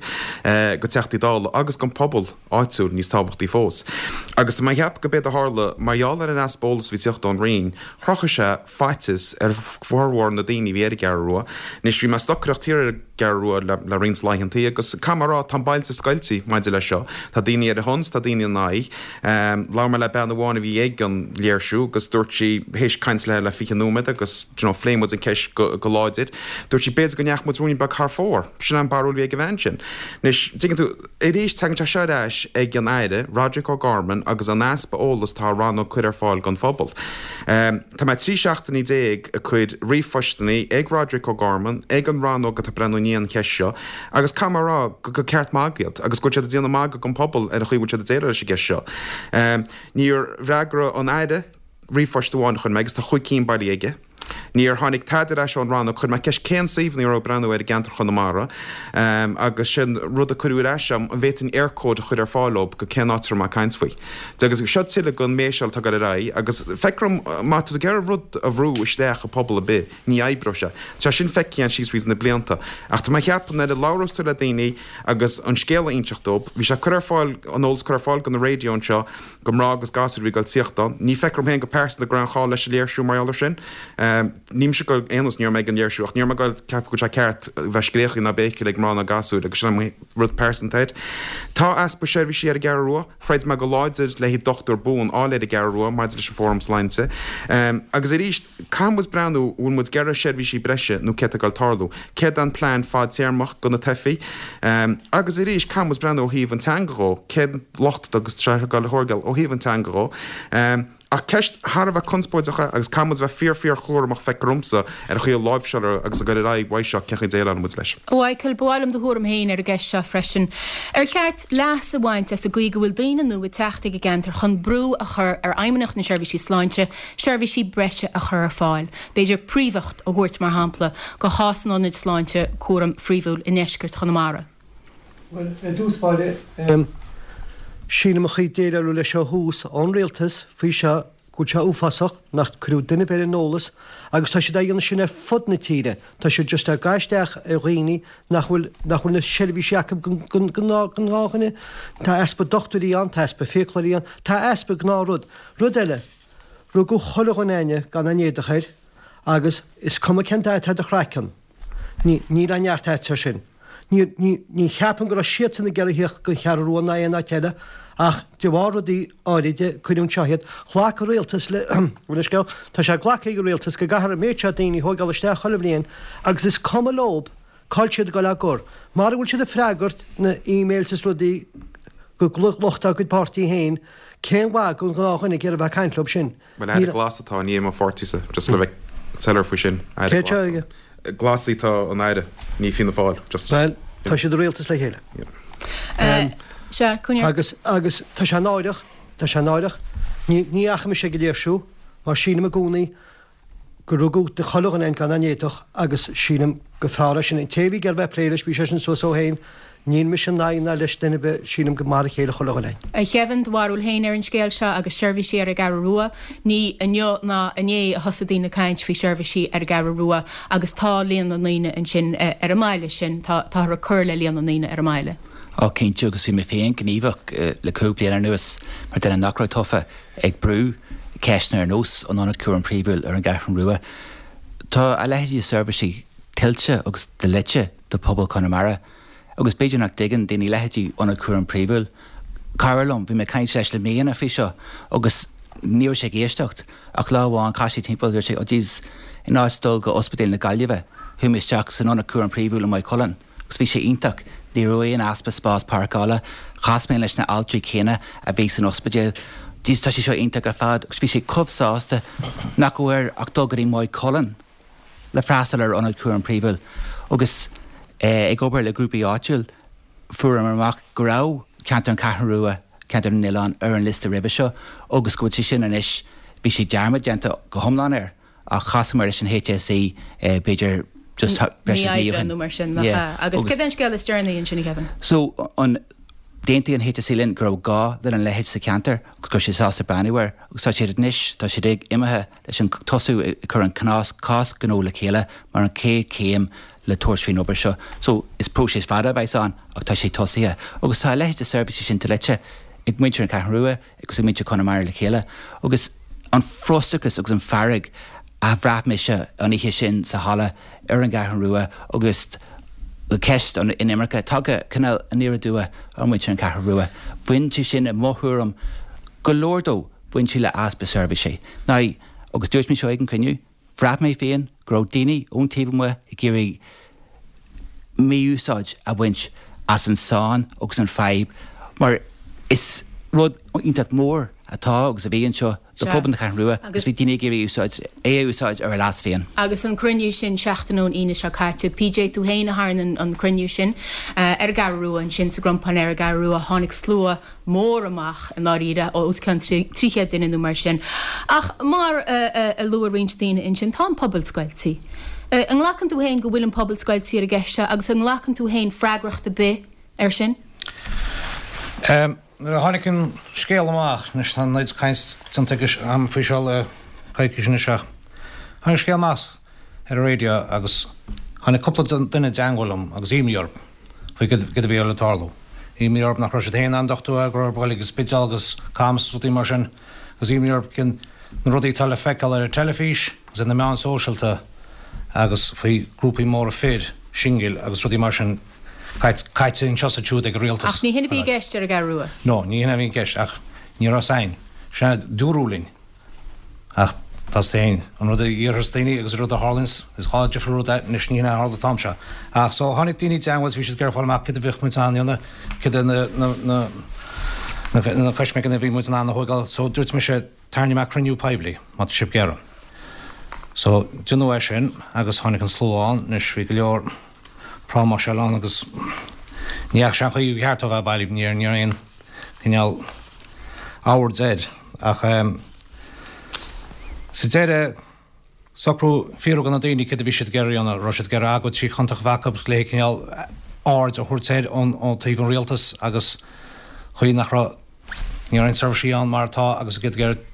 go Teachtaí Dála agus don phobal áitiúil níos tábhachtaí fós. Agus tá mé ag ceapadh go b'éard a tharla, mar gheall ar an easpa eolais a bhí ag teacht ón Roinn, chruthaigh sé faitíos ar fhormhór na daoine a bhí ar an gCeathrú Rua. Anois, bhí mé ag stocaireacht thiar ar an gCeathrú Rua le le roinnt laethantaí agus caithfidh mé a rá, tá an bailte scoilte maidir leis seo. Tá daoine ar a shon 's tá daoine ina aghaidh. Labhair mé le bean amháin a bhí ag an léirsiú agus dúirt sí, théis caint léi le fiche nóiméad agus you know phléigh muid an ceist go go láidir, dúirt sí b'fhéidir go ndeachaigh muid ruainne beag thar fóir. Sin an barúil a bhí ag an bhean sin. Anois, tuigeann tú, arís tagann sé seo ar ais ag an Aire, Roderic O'Gorman agus an easpa eolas atá an rannóg ag cur ar fáil don phobal. Tá mé trí seachtainí déag ag cur ríomhphostannaí ag Roderic O'Gorman, ag an rannóg atá ag breathnú i ndiaidh an cheist seo agus caithfidh mé a rá gur ceart magadh iad agus go bhfuil siad ag déanamh magadh den phobal ar an chaoi a bhfuil siad ag déileáil leis an gceist seo. Níor fhreagra an Aire ríomhphost amháin a chuir mé agus tá chúig cinn bailithe aige. Níor tháinig tada ar ais ón rannóg. Chuir mé ceist cén suíomhanna a raibh ag breathnú air i gceantar Chonamara agus sin rud a cuireadh ar ais agam, an bhféadfainn Eircode a chur ar fáil dóibh go cén áit a raibh mé ag caint faoi. Agus seo tuilleadh den méiseáil atá ag dul ar aghaidh agus feictear dom má tá tú ag iarraidh rud a bhrú isteach i pobal ar bith, ní oibreoidh sé. Tá sin feicthe againn síos fríd na blianta. Ach tá mé ag ceapadh nuair a labhrós tú le daoine agus an scéal a inseacht dóibh, bhí sé curtha ar fáil, an eolas curtha ar fáil go na raidió anseo go mná agus gasúir a bhí ag dul tíocht ann. Ní feictear dom féin go pearsanta go raibh aon chall leis an léirsiú mar gheall air sin. Ní mise ag dul aon nós, ní raibh mé ag an léirsiú ach ní raibh mé ag dul ceapadh go bhfuil sé ceart bheith scréachaigh ná béicíl ag mná ná gasúir agus sin an rud pearsanta air. Tá easpa seirbhísí ar an gCeathrú Rua. Throid mé go láidir le haghaidh dochtúir buan a fháil ar an gCeathrú Rua maidir leis an Fóram Sláinte. Agus arís, caithfidh muid breathnú, bhfuil muid ag iarraidh seirbhísí breise nó céard atá ag dul tarlú? Céard é an plean fadtéarmach do na teifigh? Agus arís, caithfidh muid breathnú ó thaobh an teanga dhó, cén locht agus tá sé ag dul a thógáil ó thaobh an teanga dhó. Ach ceist thar a bheith conspóideach é agus caithfidh muid bheith fíor fíor chúramach feictear domsa ar an chaoi a láimhseálar agus ag dul ar aghaidh uaidh seo cén chaoi a déileálann muid leis. A Mhichael, ba mhaith liom do thuairim féin ar an gceist seo freisin. Ar cheart leas a bhaint as an gcaoi go bhfuil daoine nua ag teacht ag an gceantar chun brú a chur ar Fheidhmeannacht na Seirbhísí Sláinte seirbhísí breise a chur ar fáil, b'fhéidir príomhacht a thabhairt mar shampla do chás an ionaid sláinte cúraim phríomhúil i ndeisceart Chonamara? Bhuel, i dtús báire, sílim an chaoi a déileáladh leis seo thuas ón rialtas faoi seo go bhfuil sé uafásach nach cuireadh duine ar bith ar an eolas agus tá siad á dhéanamh sin ar fud na tíre. Tá siad just ag gabháil isteach ar dhaoine nach bhfuil nach bhfuil na seirbhísí acu don ghnáthdhuine. Tá easpa dochtúirí ann, tá easpa fiaclóirí ann, tá easpa gnáthrud. Rud eile, rugadh chuile dhuine againne gan aon éadach air agus is cuma cén dath atá ar do chraiceann, ní níl aon neart agat air sin. Ní ní ní cheapaim go raibh siadsan ag iarraidh theacht don Cheathrú Rua ná aon áit eile ach de bharr rudaí áiride cuireadh anseo iad. Ghlac an rialtas le bhuel an scéal, tá sé glactha ag an rialtas go gcaithfear an méid seo daoine a thógáil isteach chuile bhliain agus is cuma leob cá bhfuil siad ag dul á gcur. Mara bhfuil siad ag freagairt na emails is rudaí go lucht dá gcuid páirtí féin, cén mhaith don ghnáthdhuine ag iarraidh a bheith ag caint leob sin? Bhuel aire glas atá, ní é mo pháirtíse, just le bheith soiléir faoi sin, aire Cé glas atá atá. aige? Glasaigh tá an aire, ní Fianna Fáil, just. Bhuel, tá siad i rialtas le chéile. Sea, coinnigh. Agus, agus tá sé náireach, tá sé náireach. Ní, ní fhaca mise ag an léirsiú, mar sílim i gcónaí gur rugadh de chuile dhuine gan aon éadach agus sílim gur fearr é sin. An té a bhí ag iarraidh bheith ag plé leis, bhí seisean suas ó shin. Níl mise in aghaidh ná leis duine ar bith, sílim gur mar a chéile chuile dhuine. A Kevin, do bharúil féin ar an scéal seo agus seirbhísí ar an gCeathrú Rua. Ní inniu ná inné a thosaigh daoine ag caint faoi sheirbhísí ar an gCeathrú Rua agus tá líon na ndaoine ansin ar an mbaile sin, tá, táthar ag cur le líon na ndaoine ar an mbaile. Ó cinnte agus bhí mé féin gníomhach le cúig bliana anuas mar duine nach raibh tofa ag brú ceisteanna ar nós an Ionad Cúraim Phríomhúil ar an gCeathrú Rua. Tá a leithéidí de seirbhísí tuillte agus dlite do phobal Chonamara. Agus b'fhéidir nach dtuigeann daoine leithéidí Ionad Cúraim Príomhúil. Cara liom, bhí mé ag caint leis le míonna faoi seo agus ní raibh sé ag éisteacht. Ach lá amháin chas sé timpeall dúirt sé, oh jeez, in áit dul go Ospidéal na Gaillimhe, chuaigh mé isteach san Ionad Cúraim Príomhúil i Maigh Cuilinn. Agus bhí sé iontach. Ní raibh aon easpa spás páirceála. Chas mé leis na altraí céanna a bhí san ospidéal. Jeez, tá sé seo iontach ar fad. Agus bhí sé chomh sásta nach raibh air ach dul go dtí Maigh Cuilinn le freastal ar Ionad Cúraim Príomhúil. Agus ag obair le grúpaí áitiúil, fuaireamar amach go raibh ceantar an Cheathrú Rua, ceantar na nOileán ar an liosta roimhe seo agus go bhfuil sé sin anois, bhí sé dearmad déanta go hiomlán air ach chasamar leis an HSE b'fhéidir just breis is mí ó shin. nó mar sin, nach ea? Agus cad é an scéal is deireanaí ansin, a Kevin? So an d'aontaigh an HSE linn go raibh gá lena leithéid sa cheantar agus go raibh siad sásta breathnú air agus tá siad anois, tá siad ag imithe leis an tosú ag cur an cás cás gnó le chéile mar an chéad chéim le tabhairt faoin obair seo. So is próiseas fada a bheas ann ach tá sé tosaithe. Agus tá a leithéid de seirbhísí sin dlite ag muintir an Cheathrú Rua agus ag muintir Chonamara le chéile. Agus an frustrachas agus an fearg a bhraith mise an oíche sin sa halla ar an gCeathrú Rua agus ceist an inimirce tagtha cineál aniar aduaidh ar mhuintir an Cheathrú Rua. Bhain sé sin i mo thuairim go leor dó bhain sé le easpa seirbhísí. Now, agus dúirt mé seo ag an cruinniú, bhraith mé féin go raibh daoine ón taobh amuigh ag iarraidh mí-úsáid a bhaint as an sáinn agus an fadhb mar is rud iontach mór atá agus a bhí anseo do phobal na Ceathrún Rua agus bhí daoine ag iarraidh úsáid é a úsáid ar a leas féin. Agus an cruinniú sin seachtain ón Aoine seo caite, PJ tú féin a tharraing an cruinniú sin ar an gCeathrú Rua ansin sa gCrompán ar an gCeathrú Rua tháinig slua mór amach i ndáiríre os cionn trí chéad duine nó mar sin. Ach mar a luaigh roinnt daoine ansin tá an pobal scoilte. An nglacann tú féin go bhfuil an pobal scoilte ar an gceist seo agus an nglacann tú féin freagracht ar bith air sin? Nuair a tháinig an scéal amach, anois tá an oiread caint déanta agam faoi seo le coicís anois ach tháinig an scéal amach ar an raidió agus tháinig cúpla duine i dteangmháil liom agus imní orthu faoi cad a bhí le tarlú. Imní orthu nach raibh siad féin in ann dochtúir a fháil, go raibh orthu dul ag an Spidéal agus Camas agus rudaí mar sin agus imní orthu cén na rudaí atá le feiceáil ar an teilifís agus ar na meáin sóisialta agus faoi grúpaí móra fir, singil agus rudaí mar sin. Caite anseo is ansiúd ag an rialtas. Ach ní hin a bhí i gceist ar an gCeathrú Rua. No, ní hin a bhí i gceist, ach ní raibh fhios a'inn. Sin a dúradh linn. Ach tá fhios a'inn, an rud a dhéarfas daoine agus an rud a tharlaíonns, is dhá difriúil rud é, anois ní hin a tharla an t-am seo. Ach so tháinig daoine i dteangmháil is bhí siad ag iarraidh fáil amach cad a bheadh muid in ann a dhéanamh, cad é na, na, na, na, na coisméigeanna a bhí muid in ann a thógáil. So dúirt mise, tarraingeoidh mé cruinniú poiblí, má tá sibh ag iarraidh. So deineadh é sin agus tháinig an slua ann, anois bhí go leor, prámáiseáil ann agus ní dheachaigh sé an chaoi ba cheart dó bheith bailí, ní raibh aon chineál oird air ach sa deireadh socrú fiafraí de na daoine céard a bhí siad ag iarraidh a dhéanamh, raibh siad ag iarraidh agóid trí chontae a bheith acu le cineál aird a thabhairt air ón taobh an rialtas agus chaoi nach raibh ní raibh aon seirbhísí ann mar atá agus iad ag iarraidh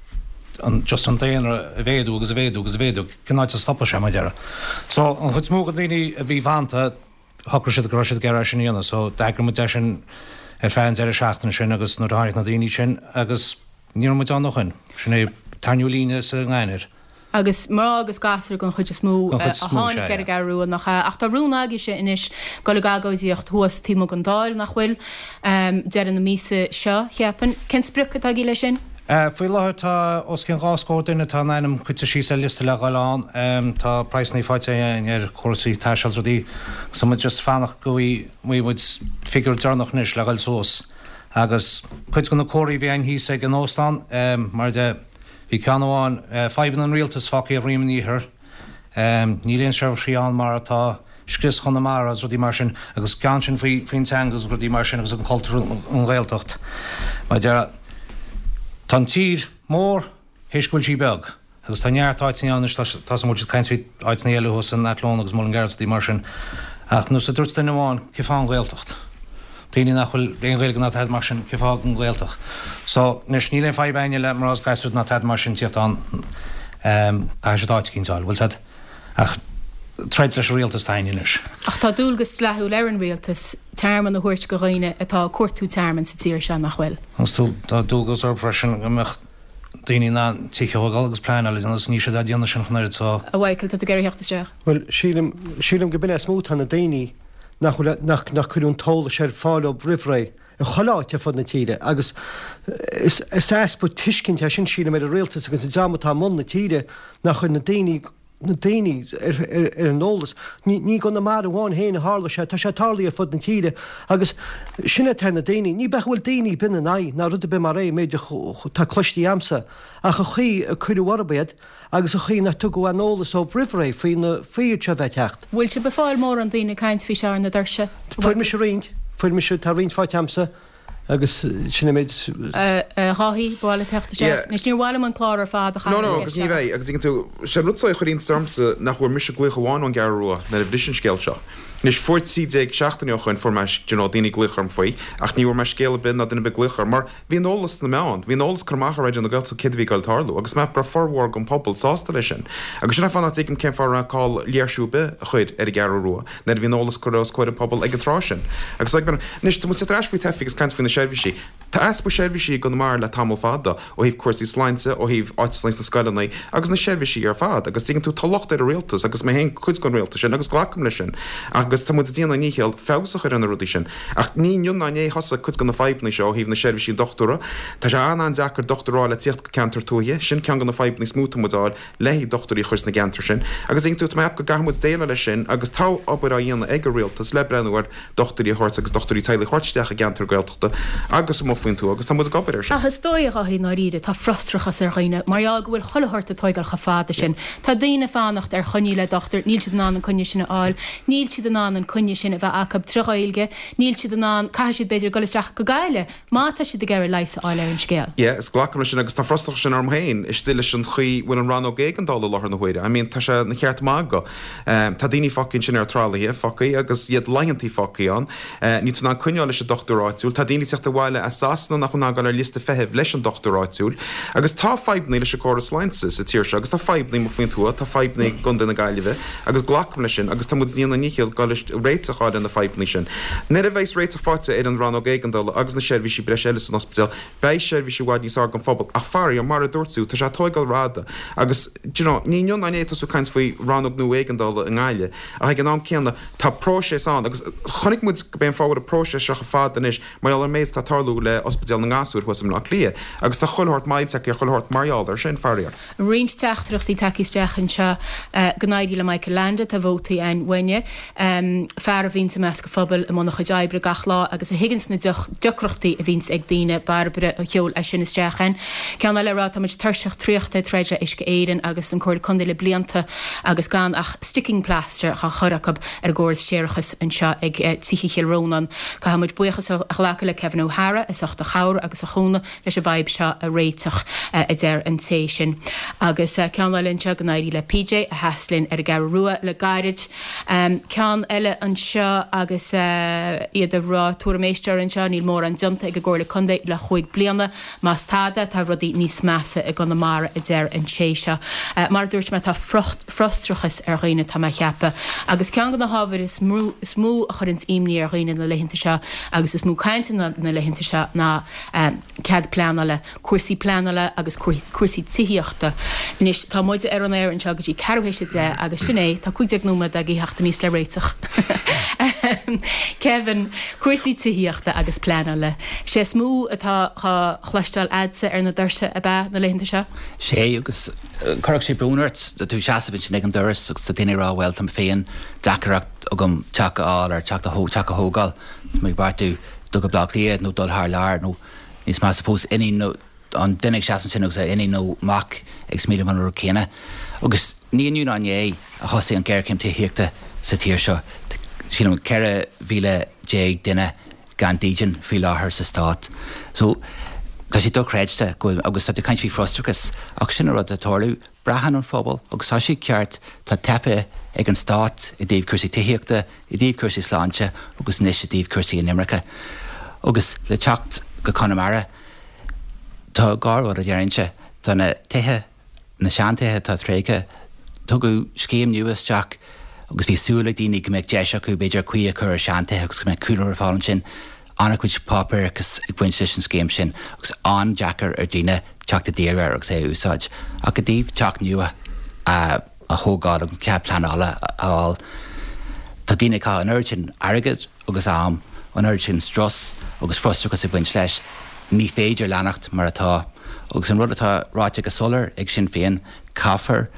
an just an daonra a mhéadú agus a mhéadú agus a mhéadú. Cén áit a stopfadh sé mar a déarfá. So an chuid is mó de na daoine a bhí fanta shocraigh siad go raibh siad ag iarraidh é sin a dhéanamh. So d'eagraigh muid é sin ar feadh an deireadh seachtaine sin agus nuair a tháinig na daoine sin agus ní raibh muid ann ó shin. Sin é tarraingiú líne sa ngainnear. Agus mná agus gasúir den chuid is mó a tháinig ar an gCeathrú Rua, nach ea? Ach tá rún agaibhse anois dul ag agóidíocht thuas taobh amuigh den Dáil, nach bhfuil? Deireadh na míosa seo, cheapfainn. Cén sprioc atá agaibh leis sin? Faoi láthair tá os cionn dhá scór duine atá a n-ainm curtha síos ar liosta le dhul ann. Tá praghsanna faighte againn ar chúrsaí taistil is rudaí so muid just fanacht go bhfaighidh muid figiúr deireanach anois le dhul suas. Agus cuid de na comharthaí a bhí againn thíos ag an óstán, mar de, Bhí ceann amháin, fadhbanna an rialtais fágtha ar dhroim an iarthair, níl aon seirbhísí ann mar atá, scrios Chonamara agus rudaí mar sin, agus ceann sin faoi faoin teanga agus rudaí mar sin agus an cultúr an Ghaeltacht. Mar a déarfá, tá an tír mór théis go bhfuil sí beag agus tá neart áiteanna ann anois, tá tá muid ag caint faoi áiteanna eile thuas in Athlone agus Mullingar agus rudaí mar sin ach nós a dúirt duine amháin, cén fáth an Ghaeltacht? Daoine nach bhfuil aon Ghaeilge ná tada mar sin, cén fáth an Ghaeltacht? So, anois, níl aon fadhb againne le mná is gasúir ná tada mar sin tíocht ann, caithfidh siad áit eicínt a fháil, bhfuil 's a'd? Ach troid leis an rialtas atá againne anois. Ach tá dualgas dleathúil ar an rialtas tearmann a thabhairt go dhaoine atá ag cuartú tearmainn sa tír seo, nach bhfuil? Agus tá dualgas orthu freisin go mbeadh daoine in ann tithe a thógáil agus pleanáil a dhéanamh agus níl siad á déanamh sin ach an oiread so. A Mhichael, tá tú ag iarraidh theacht isteach. Bhuel, sílim, sílim go b'in é is mó atá na daoine nach bhfuil, nach, nach cuireadh an t-eolas ar fáil dóibh roimh ré, i chuile áit ar fud na tíre agus is, is easpa tuiscint é sin, sílim, ar an rialtas agus an dream atá i mbun na tíre nach chuir na daoine, na daoine ar, ar, ar an eolas. Ní, ní i gConamara amháin féin a tharla sé, tá sé tarlaithe ar fud na tíre agus sin é atá ar na daoine. Ní bheadh go bhfuil daoine ar bith ina n-aghaidh ná rud ar bith mar é, an méid atá cloiste a'msa, ach an chaoi a cuireadh orthu iad, agus an chaoi nach tugadh aon eolas dóibh roimh ré faoi na, faoi iad seo a bheith ag teacht. Bhfuil sibh ag fáil mórán daoine ag caint faoi seo ar na doirse? Fuair mise roinnt, fuair mise, tá roinnt faighte a'msa agus sin an méid. A Dháithí, ba mhaith leat teacht isteach? Anois níor mhaith liom an clár ar fad a No, chaitheamh no, ar agus an ní gceist seo. bheidh, agus tuigeann tú, sé an rud a chuir iontas ormsa nach bhfuair mise glaoch amháin ón gCeathrú Rua nuair a bhris an scéal seo. Anois, fuair trí déag seachtaine ó shoin, fuair mé, do you know, daoine ag glaoch orm faoi, ach ní bhfuair mé scéal ar bith ná duine ar bith ag glaoch orm, mar bhí an eolas sna meáin, bhí an eolas curtha amach ar Raidió na Gaeltachta céard a bhí ag goil tarlú, agus measaim go raibh formhór den phobal sásta leis sin. Agus sin an fáth nach dtuigim cén fáth a raibh call léirsiú ar bith a chur ar an gCeathrú Rua, nuair a bhí an eolas curtha os comhair an pobail ag an tráth sin. Agus like, anois, tá muid ag teacht ar ais faoi teifigh agus caint faoi na seirbhísí. Tá easpa seirbhísí i gConamara le tamall fada, ó thaobh cúrsaí sláinte, ó thaobh áiteanna sna scoileanna agus na seirbhísí ar fad. Agus tuigeann tú, tá locht ar an rialtas, agus mé féin cuid den rialtas sin, agus glacaim leis sin. Agus tá muid ag déanamh ár ndícheall feabhas a chur ar na rudaí sin. Ach ní inniu ná inné a thosaigh cuid de na fadhbanna seo ó thaobh na seirbhísí dochtúra. Tá sé an-an-deacair dochtúir a fháil le tíocht go ceantar tuaithe. Sin ceann de na fadhbanna is mó atá muid a fháil le haghaidh dochtúirí a chur sna gceantair sin. Agus tuigeann tú, tá mé ag ceapadh go gcaithfidh muid déileáil leis sin agus tá obair á dhéanamh ag an rialtas le breathnú ar dochtúirí a thabhairt agus dochtúirí teaghlaigh a thabhairt isteach i gceantar Gaeltachta. agus amuigh faoin tuath agus tá muid ag obair air sin. Ach is dóigh, a Dháithí, i ndáiríre, tá frustrachas ar dhaoine mar gheall go bhfuil chuile shórt ag tóigeáil chomh fada sin. Tá daoine ag fanacht ar choinní le dochtúir, níl siad in ann an coinne sin a fháil, níl siad in ann an coinne sin a bheith acu trí Ghaeilge, níl siad in ann, caithfidh siad b'fhéidir dul isteach go Gaillimh má tá siad ag iarraidh leigheas a fháil ar an scéal. Yeah, is glacaim leis sin agus tá frustrachas sin orm féin istigh leis an chaoi bhfuil an rannóg éigeandála i láthair na huaire. I mean, tá sé ina cheart magadh. Tá daoine fágtha ansin ar tralaithe fágtha agus iad laethantaí fágtha ann. Níl tú in ann coinneáil leis an dochtúir áitiúil. Tá daoine ag teacht abhaile as Sasana nach bhfuil in ann dul ar liosta feithimh leis an dochtúir áitiúil. Agus tá fadhbanna leis an gcóras sláinte sa tír seo agus tá fadhbanna amuigh faoin tuath, tá fadhbanna i gContae na Gaillimhe agus glacaim leis sin agus tá muid ag déanamh ár ndícheall dul réiteach a fháil ar na fadhbanna sin. Nuair a bheas réiteach faighte ar an rannóg éigeandála agus na seirbhísí breise eile san ospidéal, beidh seirbhís i bhfad níos fearr don phobal. Ach faraor, mar a dúirt tú, tá sé ag tóigeáil rófhada agus do you know, ní inniu ná inné tosú caint faoi rannóg nua éigeandála i nGaillimh ach ag an am céanna tá próiseas ann agus chonaic muid go b'é an fáth a bhfuil an próiseas seo chomh fada anois mar gheall ar an méid atá ag tarlú le Ospidéal na nGasúr thuas i mBleá Cliath agus tá chuile shórt moill tagtha ar chuile shórt mar gheall air sin, faraor. Roinnt teachtaireachtaí tagtha isteach anseo go n-éirí le Michael Leainde, tá vótaí againn uainne. Fear a bhíonns i measc an phobail i mbun a chuid oibre gach lá agus a thuigeanns na deacrachtaí a bhíonns ag daoine, Bairbre a sheol é sin isteach againn. Ceann eile ag rá tá muid tuirseach traochta ag troid le Uisce Éireann agus an Comhairle Contae le blianta agus gan ach sticking plaster á chur acu ar an gcóras séarachais anseo ag Tithe Chill Rónáin. Caithfidh muid buíochas a ghlacadh le Kevin O'Hara as ucht a chabhair agus a chúnamh leis an bhfadhb seo a réiteach, a deir an té sin. Agus ceann eile anseo, go n-éirí le PJ a sheas linn ar an gCeathrú Rua le gairid. Ceann eile anseo agus iad ag rá, tuairim éisteora anseo, níl mórán déanta ag an gComhairle Contae le chúig bliana. Más tada, tá rudaí níos measa i gConamara, a deir an té seo. Mar a dúirt mé, tá frustrachas ar dhaoine, tá mé a cheapadh. Agus ceann de na hábhair is mó a chuireanns imní ar dhaoine na laethanta seo agus is mó cainte na laethanta seo ná cead pleanála, cúrsaí pleanála agus cúrsaí tithíochta. Anois, tá muide ar an aer anseo go dtí ceathrú théis a deich agus sin é, tá cúig déag nóiméad agaibh theacht aníos le réiteach. Kevin, cúrsaí tithíochta agus pleanála, sé is mó atá á chloisteáil a'dsa ar na doirse ab ea na laethanta seo? Sé, agus chuirfeadh sé brón ort, tá tú ag seasamh ansin ag an doras agus tá daoine ag rá bhuel tá mé féin deacracht agam teach a fháil ar teach a thógáil, tá mé ag beartú dul go Baile Átha Cliath nó dul thar lear nó níos measa fós iníon nó an duine ag seasamh ansin agus a iníon nó mac ag smaoineamh an rud céanna. Agus ní inniu ná inné a thosaigh an ghéarchéim tithíochta sa tír seo. Sílim ceithre mhíle déag duine gan dídean faoi láthair sa stát. So tá sé dochreidte go bhfuil, agus tá tú ag caint faoi frustrachas, ach sin an rud atá ag tarlú. Braitheann an phobal, agus tá siad ceart, tá teipthe ag an stát i dtaobh cúrsaí tithíochta, i dtaobh cúrsaí sláinte agus anois i dtaobh cúrsaí inimirce. Agus le teacht go Conamara, tá dhá rud a déarfainnse, tá na tithe, na seantithe atá tréigthe, tugadh scéim nua isteach agus bhí súil ag daoine go mbeadh deis acu b'fhéidir caoi a chur ar seantithe agus go mbeadh cúnamh ar fáil ansin. An-chuid páipéarachas ag baint leis an scéim sin agus an-deacair ar dhaoine teacht i dtír air agus é a úsáid. Ach i dtaobh teach nua a thógáil agus cead pleanála a fháil, tá daoine ag caitheamh an oiread sin airgid agus am, an oiread sin strus agus frustrachas ag baint leis. Ní féidir leanacht mar atá. Agus an rud atá ráite go soiléir ag Sinn Féin, caithfear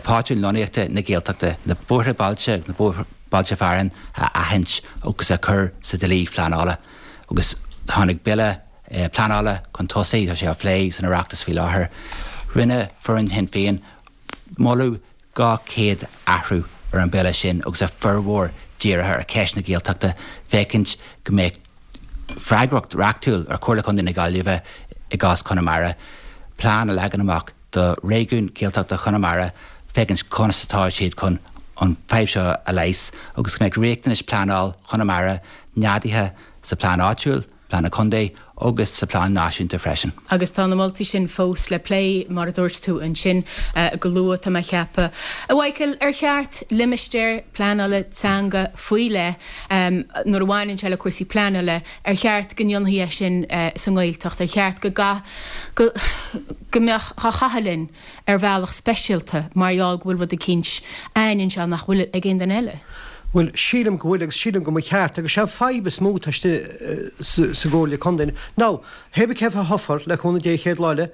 pátrún lonnaíochta na Gaeltachta, na bóithre bailte agus na bailte fearainn a aithint agus a chur sa dlí phleanála. Agus tháinig bille pleanála chun tosaigh, tá sé á phlé san Oireachtas faoi láthair. Rinne foireann Shinn Féin moladh dhá chéad athrú ar an bhille sin agus a formhór dírithe ar cheist na Gaeltachta féachaint go mbeadh freagracht reachtúil ar Chomhairle Contae na Gaillimhe i gcás Chonamara plean a leagan amach do réigiún Gaeltachta Chonamara féachaint conas atá siad chun an fadhb seo a leigheas agus go mbeadh riachtanais pleanáil Chonamara neadaithe sa plean áitiúil, plean na contae agus sa plean náisiúnta freisin. Agus tá na moltaí sin fós le plé, mar a dúirt tú ansin go luath, tá mé a cheapadh. A Mhichael, ar cheart limistéar pleanála teanga faoi leith, nuair a bhaineann sé le cúrsaí pleanála, ar cheart go ndéanfaí é sin sa nGaeltacht? Ar cheart go go go mbeadh á chaitheamh linn ar bhealach speisialta mar gheall go bhfuil rud eicínt a'ainn anseo nach bhfuil ag aon duine eile? Bhuel, sílim go bhfuil agus sílim go mba cheart agus sé an fadhb is mó atá istigh sa gComhairle Contae. Now, hé bí cé a thoghfar, le cúnamh Dé an chéad lá eile,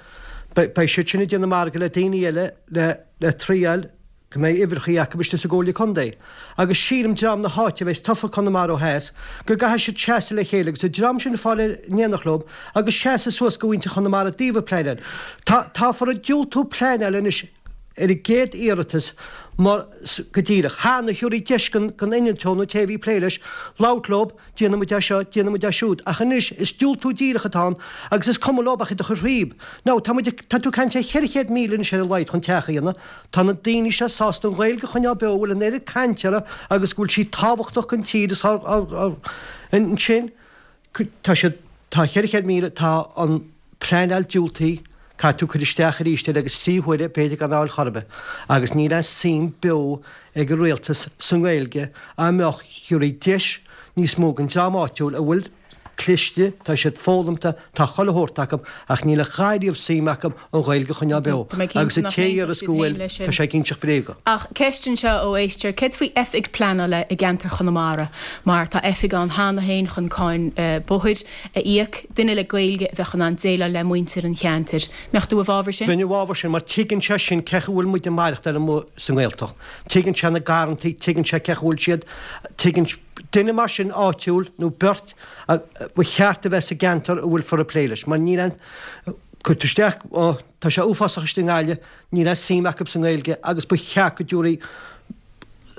beidh siad sin ag déanamh margadh le daoine eile le le triail go mbeidh uimhreachaí acu istigh sa gComhairle Contae. Agus sílim dream na háite a bheas tofa Conamara ó theas, go gcaithfidh siad seasamh le chéile agus an dream sin a fáil in éineacht leo agus seasamh suas go mhuintir Chonamara i dtaobh an pleanáil. Tá táfar ag diúltú pleanáil anois ar an gcéad iarratas mar go díreach. Cheana thabharfaí deis don innealtóir nó té a bhí ag plé leis labhairt leo, déanfaidh muid é seo, déanfaidh muid é siúd. Ach anois is diúltú díreach atá ann agus is cuma leo ach iad a chur thríob. Now, tá muid ag, tá tú ag caint ar cheithre chéad míle anois ar a laghad chun teach a dhéanamh. Tá na daoine seo sásta an Ghaeilge a choinneáil beo, a bhfuil an oiread cainte uirthi agus go bhfuil sí tábhachtach don tír is ansin tá siad, tá cheithre chéad míle, tá an pleanáil diúltaithe, caithfidh tú cur isteach arís air agus trí huaire b'fhéidir gan fháil chor ar bith. Agus níl aon suim beo ag an rialtas sa nGaeilge dá mbeadh thabharfaí deis níos mó don dream áitiúil a bhfuil cliste, tá siad foghlamta, tá chuile shórt acu ach níl a dhath riamh suim acu an Ghaeilge a choinneáil beo Tá mé cinnte agus an nach té a n-aontódh deireas siad go féin bhfuil, leis tá sin. sé ag inseacht bréaga. Ach ceist anseo ó éisteoir, céard faoi oifig pleanála i gceantar Chonamara? Mar tá oifig ann cheana féin chun cáin bóthair a íoc, duine le Gaeilge a bheadh in ann déileáil le muintir an cheantair. Mbeadh tú i bhfabhar sin? Bheinn i bhfabhar sin mar tuigeann sé sin cé chaoi a bhfuil muid ag maireachtáil amuigh sa nGaeltacht. Tuigeann sé na garrantaí, tuigeann sé cé chaoi a bhfuil siad, tuigeann duine mar sin áitiúil nó beirt a ba cheart a bheith sa gceantar a bhfuilfear ag plé leis mar níl aon cuir tú isteach, ó tá sé uafásach istigh i nGaillimh, níl aon suim acu sa nGaeilge agus ba cheart go dtabharfaí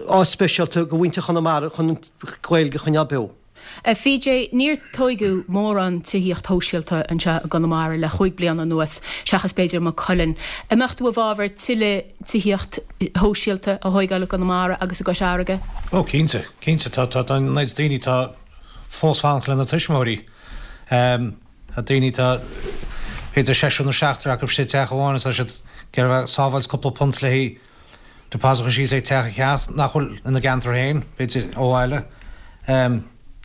áit speisialta go mhuintir Chonamara chun an Ghaeilge a choinneáil beo. P J, Níor tóigeadh mórán tithíocht shóisialta anseo i gConamara le chúig bliana anuas, seachas b'fhéidir Maigh Cuilinn. An mbeadh tú i bhfabhar tuilleadh tithíocht shóisialta a thóigeáil i gConamara agus i gCois Fharraige? Ó cinnte, cinnte tá tá tá an méid daoine tá fós fanacht lena tuismitheoirí. Tá daoine tá b'fhéidir seisear nó seachtar acu istigh i dteach amháin is tá siad ag iarraidh sábháilt cúpla punt le haghaidh deposit a chur síos le teach a cheannach nach bhfuil ina gceantar féin, b'fhéidir ó bhaile.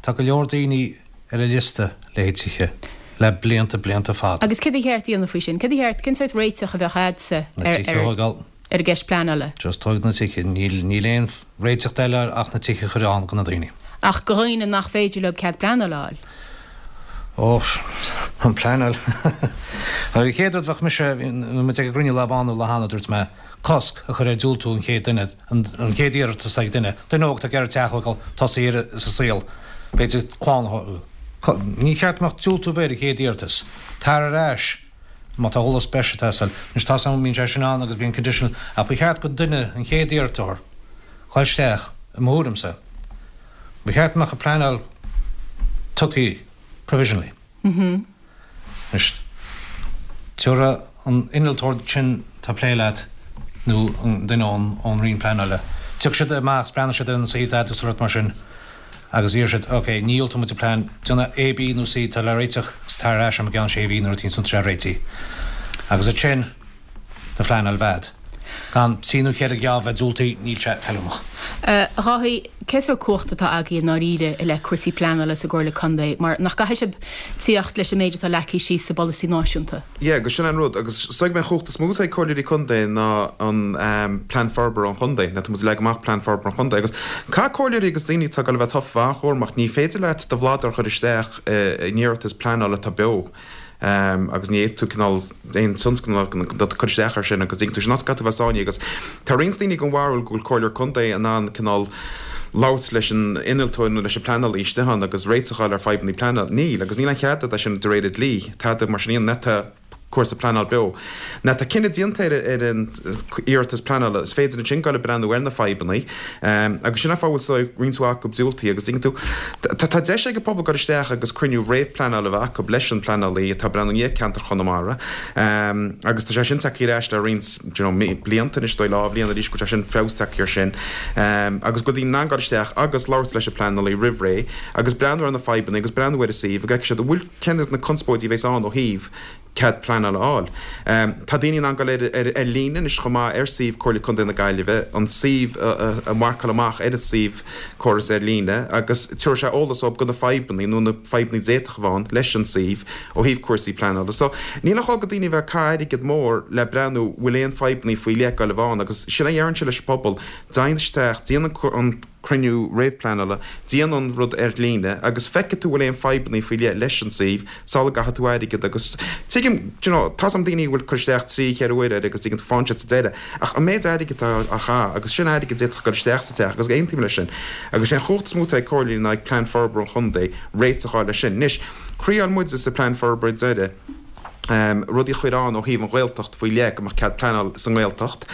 Tá go leor daoine ar an liosta le haghaidh tithe le blianta blianta fada. Agus céard ba cheart a dhéanamh faoi sin? Céard ba cheart, cén sórt réiteach a bheadh agatsa Na ar tithe a ar thógáil. ar an gceist pleanála? Just tóg na tithe, níl níl aon réiteach eile ach na tithe a chur ann do na daoine. Ach go dhaoine nach féidir leo cead pleanála a fháil? Ó, an pleanáil. An chéad rud bheadh mise, muid ag an gcruinniú lá bánú lá cheana, dúirt mé, cosc a chur ar diúltú an chéad duine, an chéad iarratas ag duine, duine óg atá ag iarraidh teach a thógáil, tosaí ar sa saol, b'fhéidir clann a thógáil. Ní cheart go mbeadh diúltú ar bith ar an chéad iarratas. Tar ar ais má tá eolas breise ag teastáil. Anois tá san, bíonn sé sin ann agus bíonn conditional, ach ba cheart go duine an chéad iarratasóir dhul isteach, i mo thuairimse, ba cheart go mbeadh an pleanáil tugtha provisionally. Anois, tabharfaidh an innealtóir sin atá ag plé leat nó an duine ón ón Roinn Pleanála, tiocfaidh siad amach is breathnóidh siad ar an suíomh agat agus rud mar sin agus iarrfaidh siad, ok, ní dhiúltóidh muid an plean, déan A, B nó C atá le réiteach agus tar ar ais i gceann sé mhí nuair a tá sé réitithe. Agus ansin do phleanáil a bheith agat. Gan trí nó ceithre gheábh bheith diúltaithe, níl sé feiliúnach. A Dháithí, cén sórt cumhacht atá agaibh i ndáiríre i leith cúrsaí pleanála sa gComhairle Contae mar nach gcaithfidh sibh tíocht leis an méid atá leagtha síos sa bpolasaí náisiúnta? Yeah, agus sin an rud, agus is dóigh go mbeidh an chumhacht is mó atá ag comhairleoirí contae ná an plean forbartha an chontae, nó tá muid ag leagan amach plean forbartha an chontae agus caithfidh comhairleoirí agus daoine atá ag dul a bheith tofa bheith an-chúramach, ní féidir leat do bhladar a chur isteach in iarratas pleanála atá beo. agus ní fhéadfaidh tú cineál aon tionscnamh a chur isteach air sin agus dtuigeann tú sin áit caithfidh tú bheith sáinnithe agus tá roinnt daoine den bharúil go bhfuil comhairleoir contae in ann cineál labhairt leis an innealtóir nó leis an pleanálaí istigh ann agus réiteach a fháil ar fadhbanna pleanála. Níl agus níl aon chead agat é sin de réir an dlí. Tada mar sin nuair atá cúrsa pleanála beo. Nuair atá cinneadh déanta ar ar an iarratas pleanála is féidir ansin dul ag breathnú ar na fadhbanna agus sin an fáth a bhfuil roinnt mhaith acu diúltaithe agus tuigeann tú tá tá deis ag an pobal dul isteach agus cruinniú réamhphleanála a bheith acu leis an pleanálaí atá ag breathnú i ndiaidh ceantar Chonamara agus tá sé sin tagtha ar ais le roinnt you know blianta anois dóigh dhá bhliain arís go bhfuil sé sin feabhas tagtha air sin agus go bhfuil daoine in ann dul isteach agus labhairt leis an pleanálaí roimh ré agus breathnú ar na fadhbanna agus breathnú ar an suíomh go bhfeicfidh siad an bhfuil cén na conspóidí a bheas ann ó thaobh cead pleanála a fháil. Tá daoine in ann dul ar ar ar líne anois chomh maith ar suíomh Comhairle Contae na Gaillimhe, an suíomh a mharcáil amach ar an suíomh córas ar líne agus tabharfaidh sé eolas dóibh go na fadhbanna nó na fadhbanna d'fhéadfadh a bheith ann leis an suíomh ó thaobh cúrsaí pleanála. So níl aon chall go daoine a bheith ag caitheamh airgead mór le breathnú bhfuil aon fadhbanna faoi leith ag dul a bheith ann agus sin a dheireann sé leis an pobal, téigh isteach, déan an cruinniú réamhphleanála, déan an rud ar líne agus feicfidh tú bhfuil aon fadhbanna faoi leith leis an suíomh sula gcaithfidh tú airgead agus tuigim, do you know, tá some daoine a bhfuil cur isteach trí, cheithre uair air agus tuigeann tú faigheann siad sa deireadh ach an méid airgid atá á chaitheamh agus sin airgead a d'fhéadfadh dul isteach sa teach agus aontaím leis sin agus sé an chumhacht is mó atá ag comhairle ná ag plean forbartha an chontae réiteach a fháil leis sin. Anois, thriail muide sa plean forbartha deiridh, rudaí a chur ann ó thaobh an Ghaeltacht faoi leith, go mbeadh cead pleanáil sa nGaeltacht.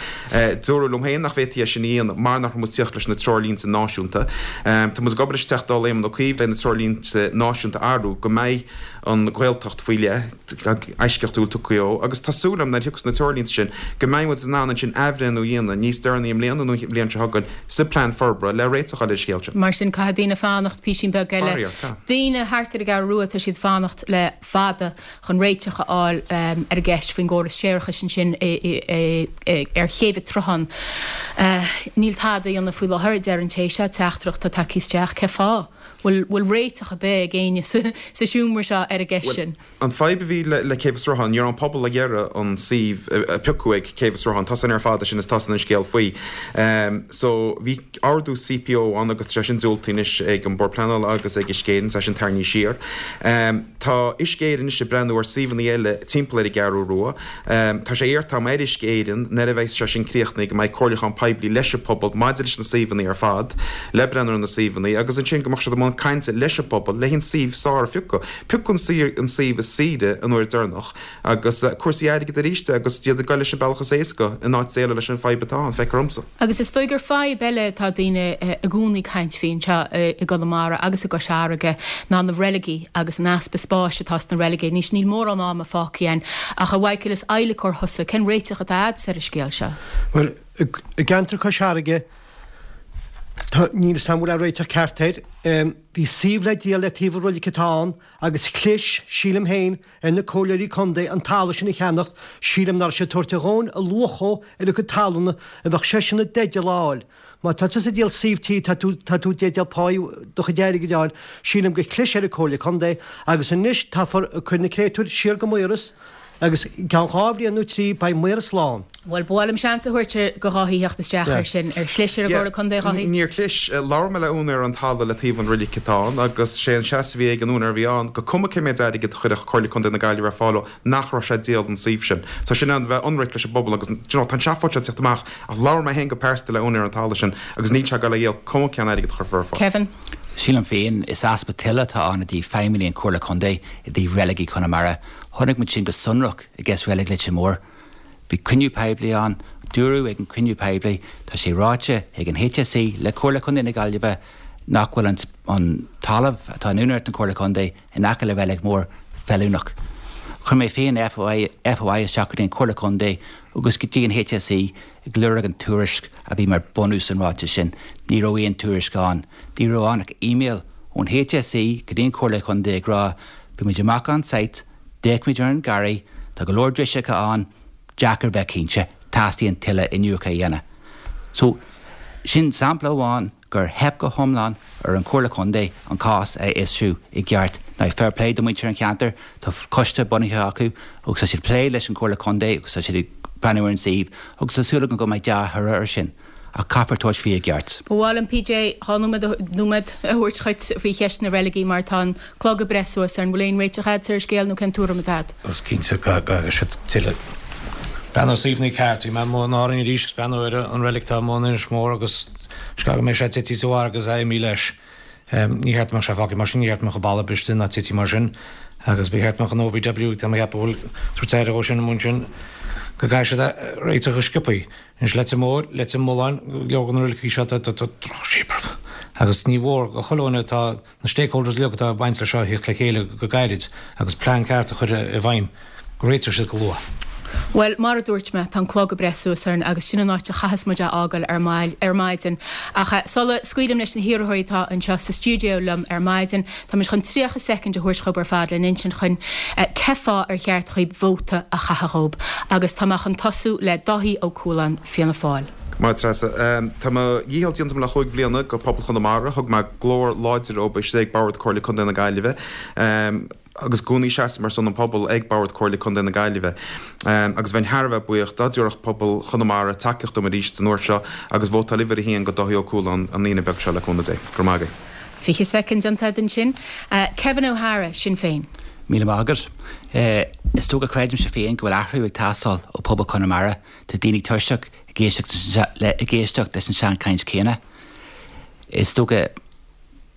Dúradh liom féin nach bhféadfaí é sin a dhéanamh mar nach raibh muid ag tíocht leis na treoirlínte náisiúnta. Tá muid ag obair leis an Teachta Dála Éamon Ó Cuív le na treoirlínte náisiúnta a athrú go mbeidh an Ghaeltacht faoi leith, eisceachtúil tugtha dhó agus tá súil agam nuair a thiocfas na treoirlínte sin go mbeidh muid in ann ansin athbhreithniú a dhéanamh níos deireanaí i mbliana nó an bhliain seo chugainn sa plean forbartha le réiteach a fháil ar an scéal sin. Mar sin caithfidh daoine fanacht písín beag eile. Faraor, tá. Daoine thart ar an gCeathrú Rua, tá siad ag fanacht le fada chun réiteach a fháil ar an gceist faoin gcóras séarachais ansin ar Chéibh an tSrutháin. Níl tada á dhéanamh faoi láthair, a deir an té seo, teachtaireacht atá tagtha isteach. Cén fáth? Bhfuil réiteach ar bith ag éinne sa seomra seo ar an gceist sin? An fadhb a bhí le Céibh an tSrutháin, ní raibh an pobal ag iarraidh an suíomh a piocadh ag Céibh an tSrutháin, tá sin ar fad sin is tá sin an scéal faoi. So bhí ordú C P O ann agus tá sé sin diúltaithe anois ag an Bord Pleanála agus ag Uisce Éireann, tá sin tarraingthe siar. Tá Uisce Éireann anois ag breathnú ar suíomhanna eile timpeall ar an gCeathrú Rua. Tá sé iarrta agam ar Uisce Éireann nuair a bheidh sé sin críochnaithe go mbeidh comhairliúchán poiblí leis an pobal maidir leis na suíomhanna ar fad, le breathnú ar na suíomhanna agus ansin go mbeadh siad i mbun cainte leis an bpobal le an suíomh is fearr a phiocadh. Piocadh an suíomh is saoire an uair deireanach agus cúrsaí airgid arís agus iad ag dul leis an bealach is éasca in áit déileáil leis an fadhb atá ann, feictear domsa. Agus is dóigh gur fadhb eile atá daoine i gcónaí ag caint faoi anseo i gConamara agus i gCois Fharraige ná na reiligí agus an easpa spáis atá sna reiligí. Anois níl mórán ama fágtha againn ach a Mhichael is adhlacóir thusa, cén réiteach atá agat ar an scéal seo? Bhuel, i gceantar Cois Fharraige níl a fhios agam an bhfuil réiteach ceart air. Bhí suíomh le díol le taobh an reilig atá ann agus chlis, sílim féin, ar na comhairleoirí contae an talamh sin a cheannacht, sílim nach raibh siad ag tabhairt a dhóthain a luach dhó ar a cuid talúna a bheadh seisean i dteideal a fháil. Má tá tusa ag díol suíomh tí tá tú tá tú i dteideal páí do chuid airgid a fháil, sílim gur chlis ar an comhairle contae agus anois táfar ag cur na créatúir siar go Maoras agus i gceann dhá bhliain nó trí beidh Maoras lán. Bhuel, ba mhaith liom seans a thabhairt do Dháithí theacht isteach air sin. Ar chlis ar an gComhairle Contae, a Dháithí? Níor chlis. Labhair mé le úinéir an talaimh le taobh an reilig atá ann agus sé an seasamh a bhí ag an úinéir a bhí ann go cuma cé méid airgid a chuirfeadh Comhairle Contae na Gaillimhe ar fáil dó nach raibh sé ag díol an suíomh sin. So sin an bheith ionraic leis an bpobal agus do you know tá an seafóid seo ag teacht amach ach labhair mé féin go pearsanta le úinéir an talaimh sin agus níl sé ag dul a dhíol cuma cén airgead a chuirfear ar fáil. Kevin. Sílim féin, is easpa toile atá ann i dtaobh feidhmeannaigh an Chomhairle Contae i dtaobh reiligí Chonamara. Chonaic muid sin go sonrach i gcás reilig Leitir Móir. Bhí cruinniú poiblí ann, dúradh ag an cruinniú poiblí, tá sé ráite ag an H S E le Comhairle Contae na Gaillimhe nach bhfuil an, an talamh atá in úinéireacht an Chomhairle Contae in aice le Reilig Mór feiliúnach. Chuir mé féin F O I, F O I isteach go dtí an Chomhairle Contae agus go dtí an H S E ag lorg an tuairisc a bhí mar bunús an ráiteas sin. Ní raibh aon tuairisc ann. Ní raibh ann ach email ón H S E go dtí an Chomhairle Contae ag rá bhí muid amach on site, d'fhéach muid ar an garraí, tá go leor driseacha ann, deacair bheith cinnte, teastaíonn tuilleadh iniúchadh a dhéanamh. So sin sampla amháin gur theip go hiomlán ar an Chomhairle Contae an cás a fhiosrú i gceart. Now fair play do muintir an cheantair, tá coiste bunaithe acu agus tá siad plé leis an Chomhairle Contae agus tá siad ag breathnú ar an suíomh agus tá súil agam go mbeidh dea-thoradh ar sin. Ach caithfear tabhairt faoi i gceart. Ba mhaith liom P J dhá nóiméad nóiméad a thabhairt dhuit faoi cheist na reiligí mar tá an clog ag breith suas ar an bhfuil aon réiteach agat ar an scéal nó cén tuairim atá agat. Is cinnte go siad tuilleadh. Breathnú suíomhanna ceart, bhí mé amuigh in Árainn arís agus breathnú ar an reilig atá amuigh in Inis Mór agus is go mbeidh sé tite sa bharr agus é imithe leis. Ní cheart go mbeadh sé fágtha mar sin, ní cheart go mbeadh an balla briste ná tite mar sin agus ba cheart go mbeadh an O B W tá mé ag ceapadh go bhfuil tabhairt aire dhó sin amuigh ansin go gcaithfidh siad réiteach go sciobtha. Anois Leitir Móir, Leitir Mealláin, go leor de na reiligí seo tá drochshaol agus ní mhór go chuile dhuine atá na stakeholders uilig atá ag baint leis seo a theacht le chéile go gairid agus plean ceart a chur i bhfeidhm go réiteodh siad go luath. Well, mar a dúirt mé, tá an clog ag breith suas orainn agus sin an áit a chaithfeas muid a fhágáil ar ar maidin. Ach eh, sula scaoilim leis na hiarrthóirí atá anseo sa stiúideo liom ar maidin, tá muid chun tríocha soicind a thabhairt dhaoib ar fad le n-insint chun eh, cén fáth ar cheart dhaoib vóta a chaitheamh dhób. Agus tá mé chun tosú le Dáithí Ó Cualáin Fianna Fáil. Mar Treasa, Tá mo dhícheall déanta le chúig bliana go pobal Chonamara, thug mé glór láidir ó istigh ag Bord Comhairle Contae na Gaillimhe. agus i gcónaí seasaim ar son an pobal ag Bord Comhairle Contae na Gaillimhe. Agus bheinn thar a bheith buíoch dá dtabharfadh pobal Chonamara tacaíocht dom arís an uair seo agus vótáil uimhir a haon go Dáithí Ó Cualáin an Aoine beag seo le cúnamh Dé. Go raibh maith agaibh. Fiche soicind déanta agat ansin. Kevin O'Hara, Sinn Féin. Míle maith agat. Is dócha creidimse féin go bhfuil athrú ag teastáil ó pobal Chonamara. Tá daoine tuirseach ag éisteacht leis an seanchaint céanna. Is dócha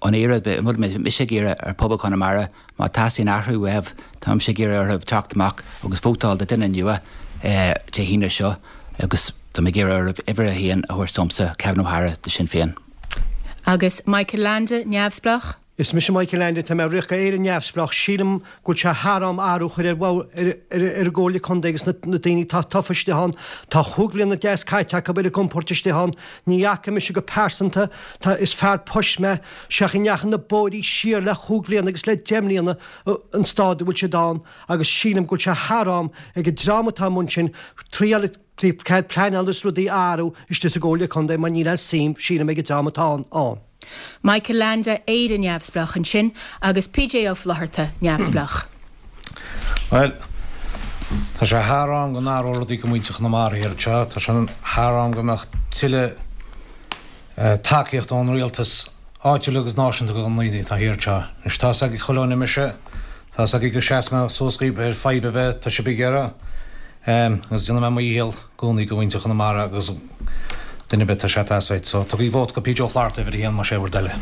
an rud a bhfuil mise ag iarraidh ar pobal Chonamara má teastaíonn athrú uaibh, táimse ag iarraidh orthu teacht amach agus vótáil do duine nua Dé hAoine seo agus tá mé ag iarraidh orthu uimhir a haon a thabhairt domsa, Kevin O'Hara do Sinn Féin. Agus Michael Leainde, Neamhspleách? Is mise Michael Leainde, tá mé ag rith go Éire Neamhspleách. Sílim go bhfuil sé thar am athrú a chur ar ar an gComhairle Contae agus na daoine atá tofa istigh ann. Tá chúig bhliana deas caite acu ar a gcompord istigh ann. Ní fhaca mise go pearsanta, tá, is fear poist mé, seach a ndeachaigh na bóithrí siar le chúig bhliana agus le deich mbliana an staid a bhfuil siad ann agus sílim go bhfuil sé thar am ag an dream atá amuigh ansin triail cead pleanála is rudaí a athrú istigh sa gComhairle Contae mar níl aon suim, sílim, ag an dream atá ann. Michael Leainde, Éire Neamhspleách ansin agus P J Ó Flaithearta, Neamhspleách. Bhuel, tá sé thar am go n-athródh rudaí go muintir Chonamara thiar anseo. Tá sé thar am go mbeadh tuilleadh tacaíocht ón rialtas áitiúil agus náisiúnta do na daoine atá thiar anseo. Anois tá 's ag chuile dhuine mise, tá 's agaibh go seasfaidh mé suas dhaoibh ar fadhb ar bith atá sibh ag iarraidh. Agus déanfaidh mé mo dhícheall i gcónaí go mhuintir Chonamara agus duine ar bith atá sé teasaid. So tugaigí vóta go P J Ó Flatharta uimhir a haon más é bhur dtoil.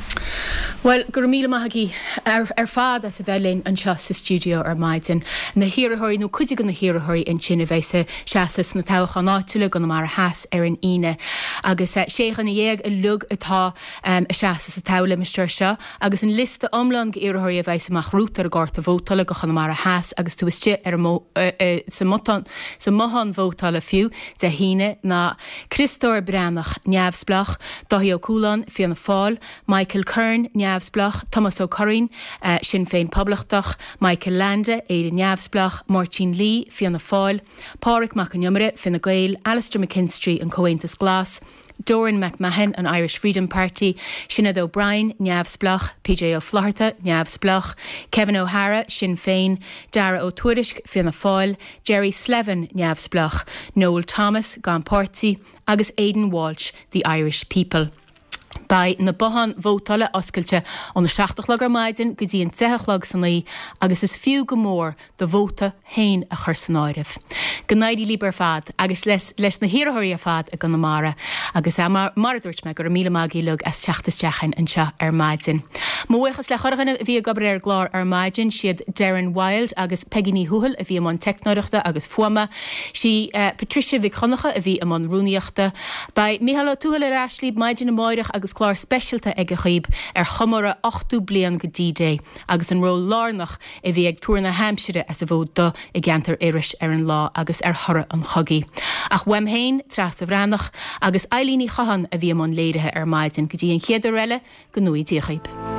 Bhuel, go raibh míle maith agaibh ar, ar fad as a bheith linn anseo sa stiúideo ar maidin. Na hiarrthóirí nó cuid de na hiarrthóirí ansin a bheidh ag seasamh sna toghcháin áitiúla i gConamara Theas ar an Aoine. Agus eh, sé dhuine dhéag uilig atá um, ag seasamh sa toghlimistéar seo, agus an liosta iomlán d'iarrthóirí a bheidh amach romhat ar an gcárta vótála go Chonamara Theas agus tú istigh ar an mo, uh, uh, sa mbotán sa mbothán vótála fiú Dé hAoine ná Criostóir Breathnach neamhspleách, Dáithí Ó Cualáin, Fianna Fáil, Michael Kern neamhspleách, Tomás Ó Curraoin, uh, Sinn Féin Poblachtach, Michael Leainde, Éire Neamhspleách, Máirtín Lee, Fianna Fáil, Pádraig Mac an Iomaire, Fine Gael, Alistair McKinstry an Comhaontas Glas, Doran McMahon an Irish Freedom Party, Sinéad O'Brien, Neamhspleách, P J Ó Flaithearta, Neamhspleách, Kevin O'Hara, Sinn Féin, Dara Ó Tuairisg, Fianna Fáil, Jerry Slevin, Neamhspleách, Noel Thomas, gan páirtí, agus Aidan Walsh, The Irish People. Beidh na botháin vótála oscailte óna seacht a chlog ar maidin go dtí an deich a chlog san oíche agus is fiú go mór do vóta féin a chur san áireamh. Go n-éirí libh ar fad agus leis, leis na hiarrthóirí ar fad i gConamara agus mar, mar a dúirt mé go raibh míle maith agaibh as teacht isteach anseo ar maidin. Mo bhuíochas le chuile dhuine a bhí ag obair ar an gclár ar maidin siad Darren Wild agus Peggy Ní Thuathail a bhí i mbun teicneoireachta agus fuaime, sí uh, Patricia Mhic Choncha a bhí i mbun rúnaíochta. Beidh Mícheál Ó Tuathail ar ais libh maidin amárach agus clár speisialta aige dhaoibh ar chomóradh ochtó bliain go D-Day agus an ról lárnach a bhí ag tuar na haimsire as an bhFód Dubh i gceantar Iorrais ar an lá agus ar thoradh an chogaidh. Ach uaim féin Treasa Bhreathnach agus Eileen Ní Chatháin a bhí i mbun léirithe ar maidin go dtí an chéad uair eile go ngnóthaí Dia dhaoibh.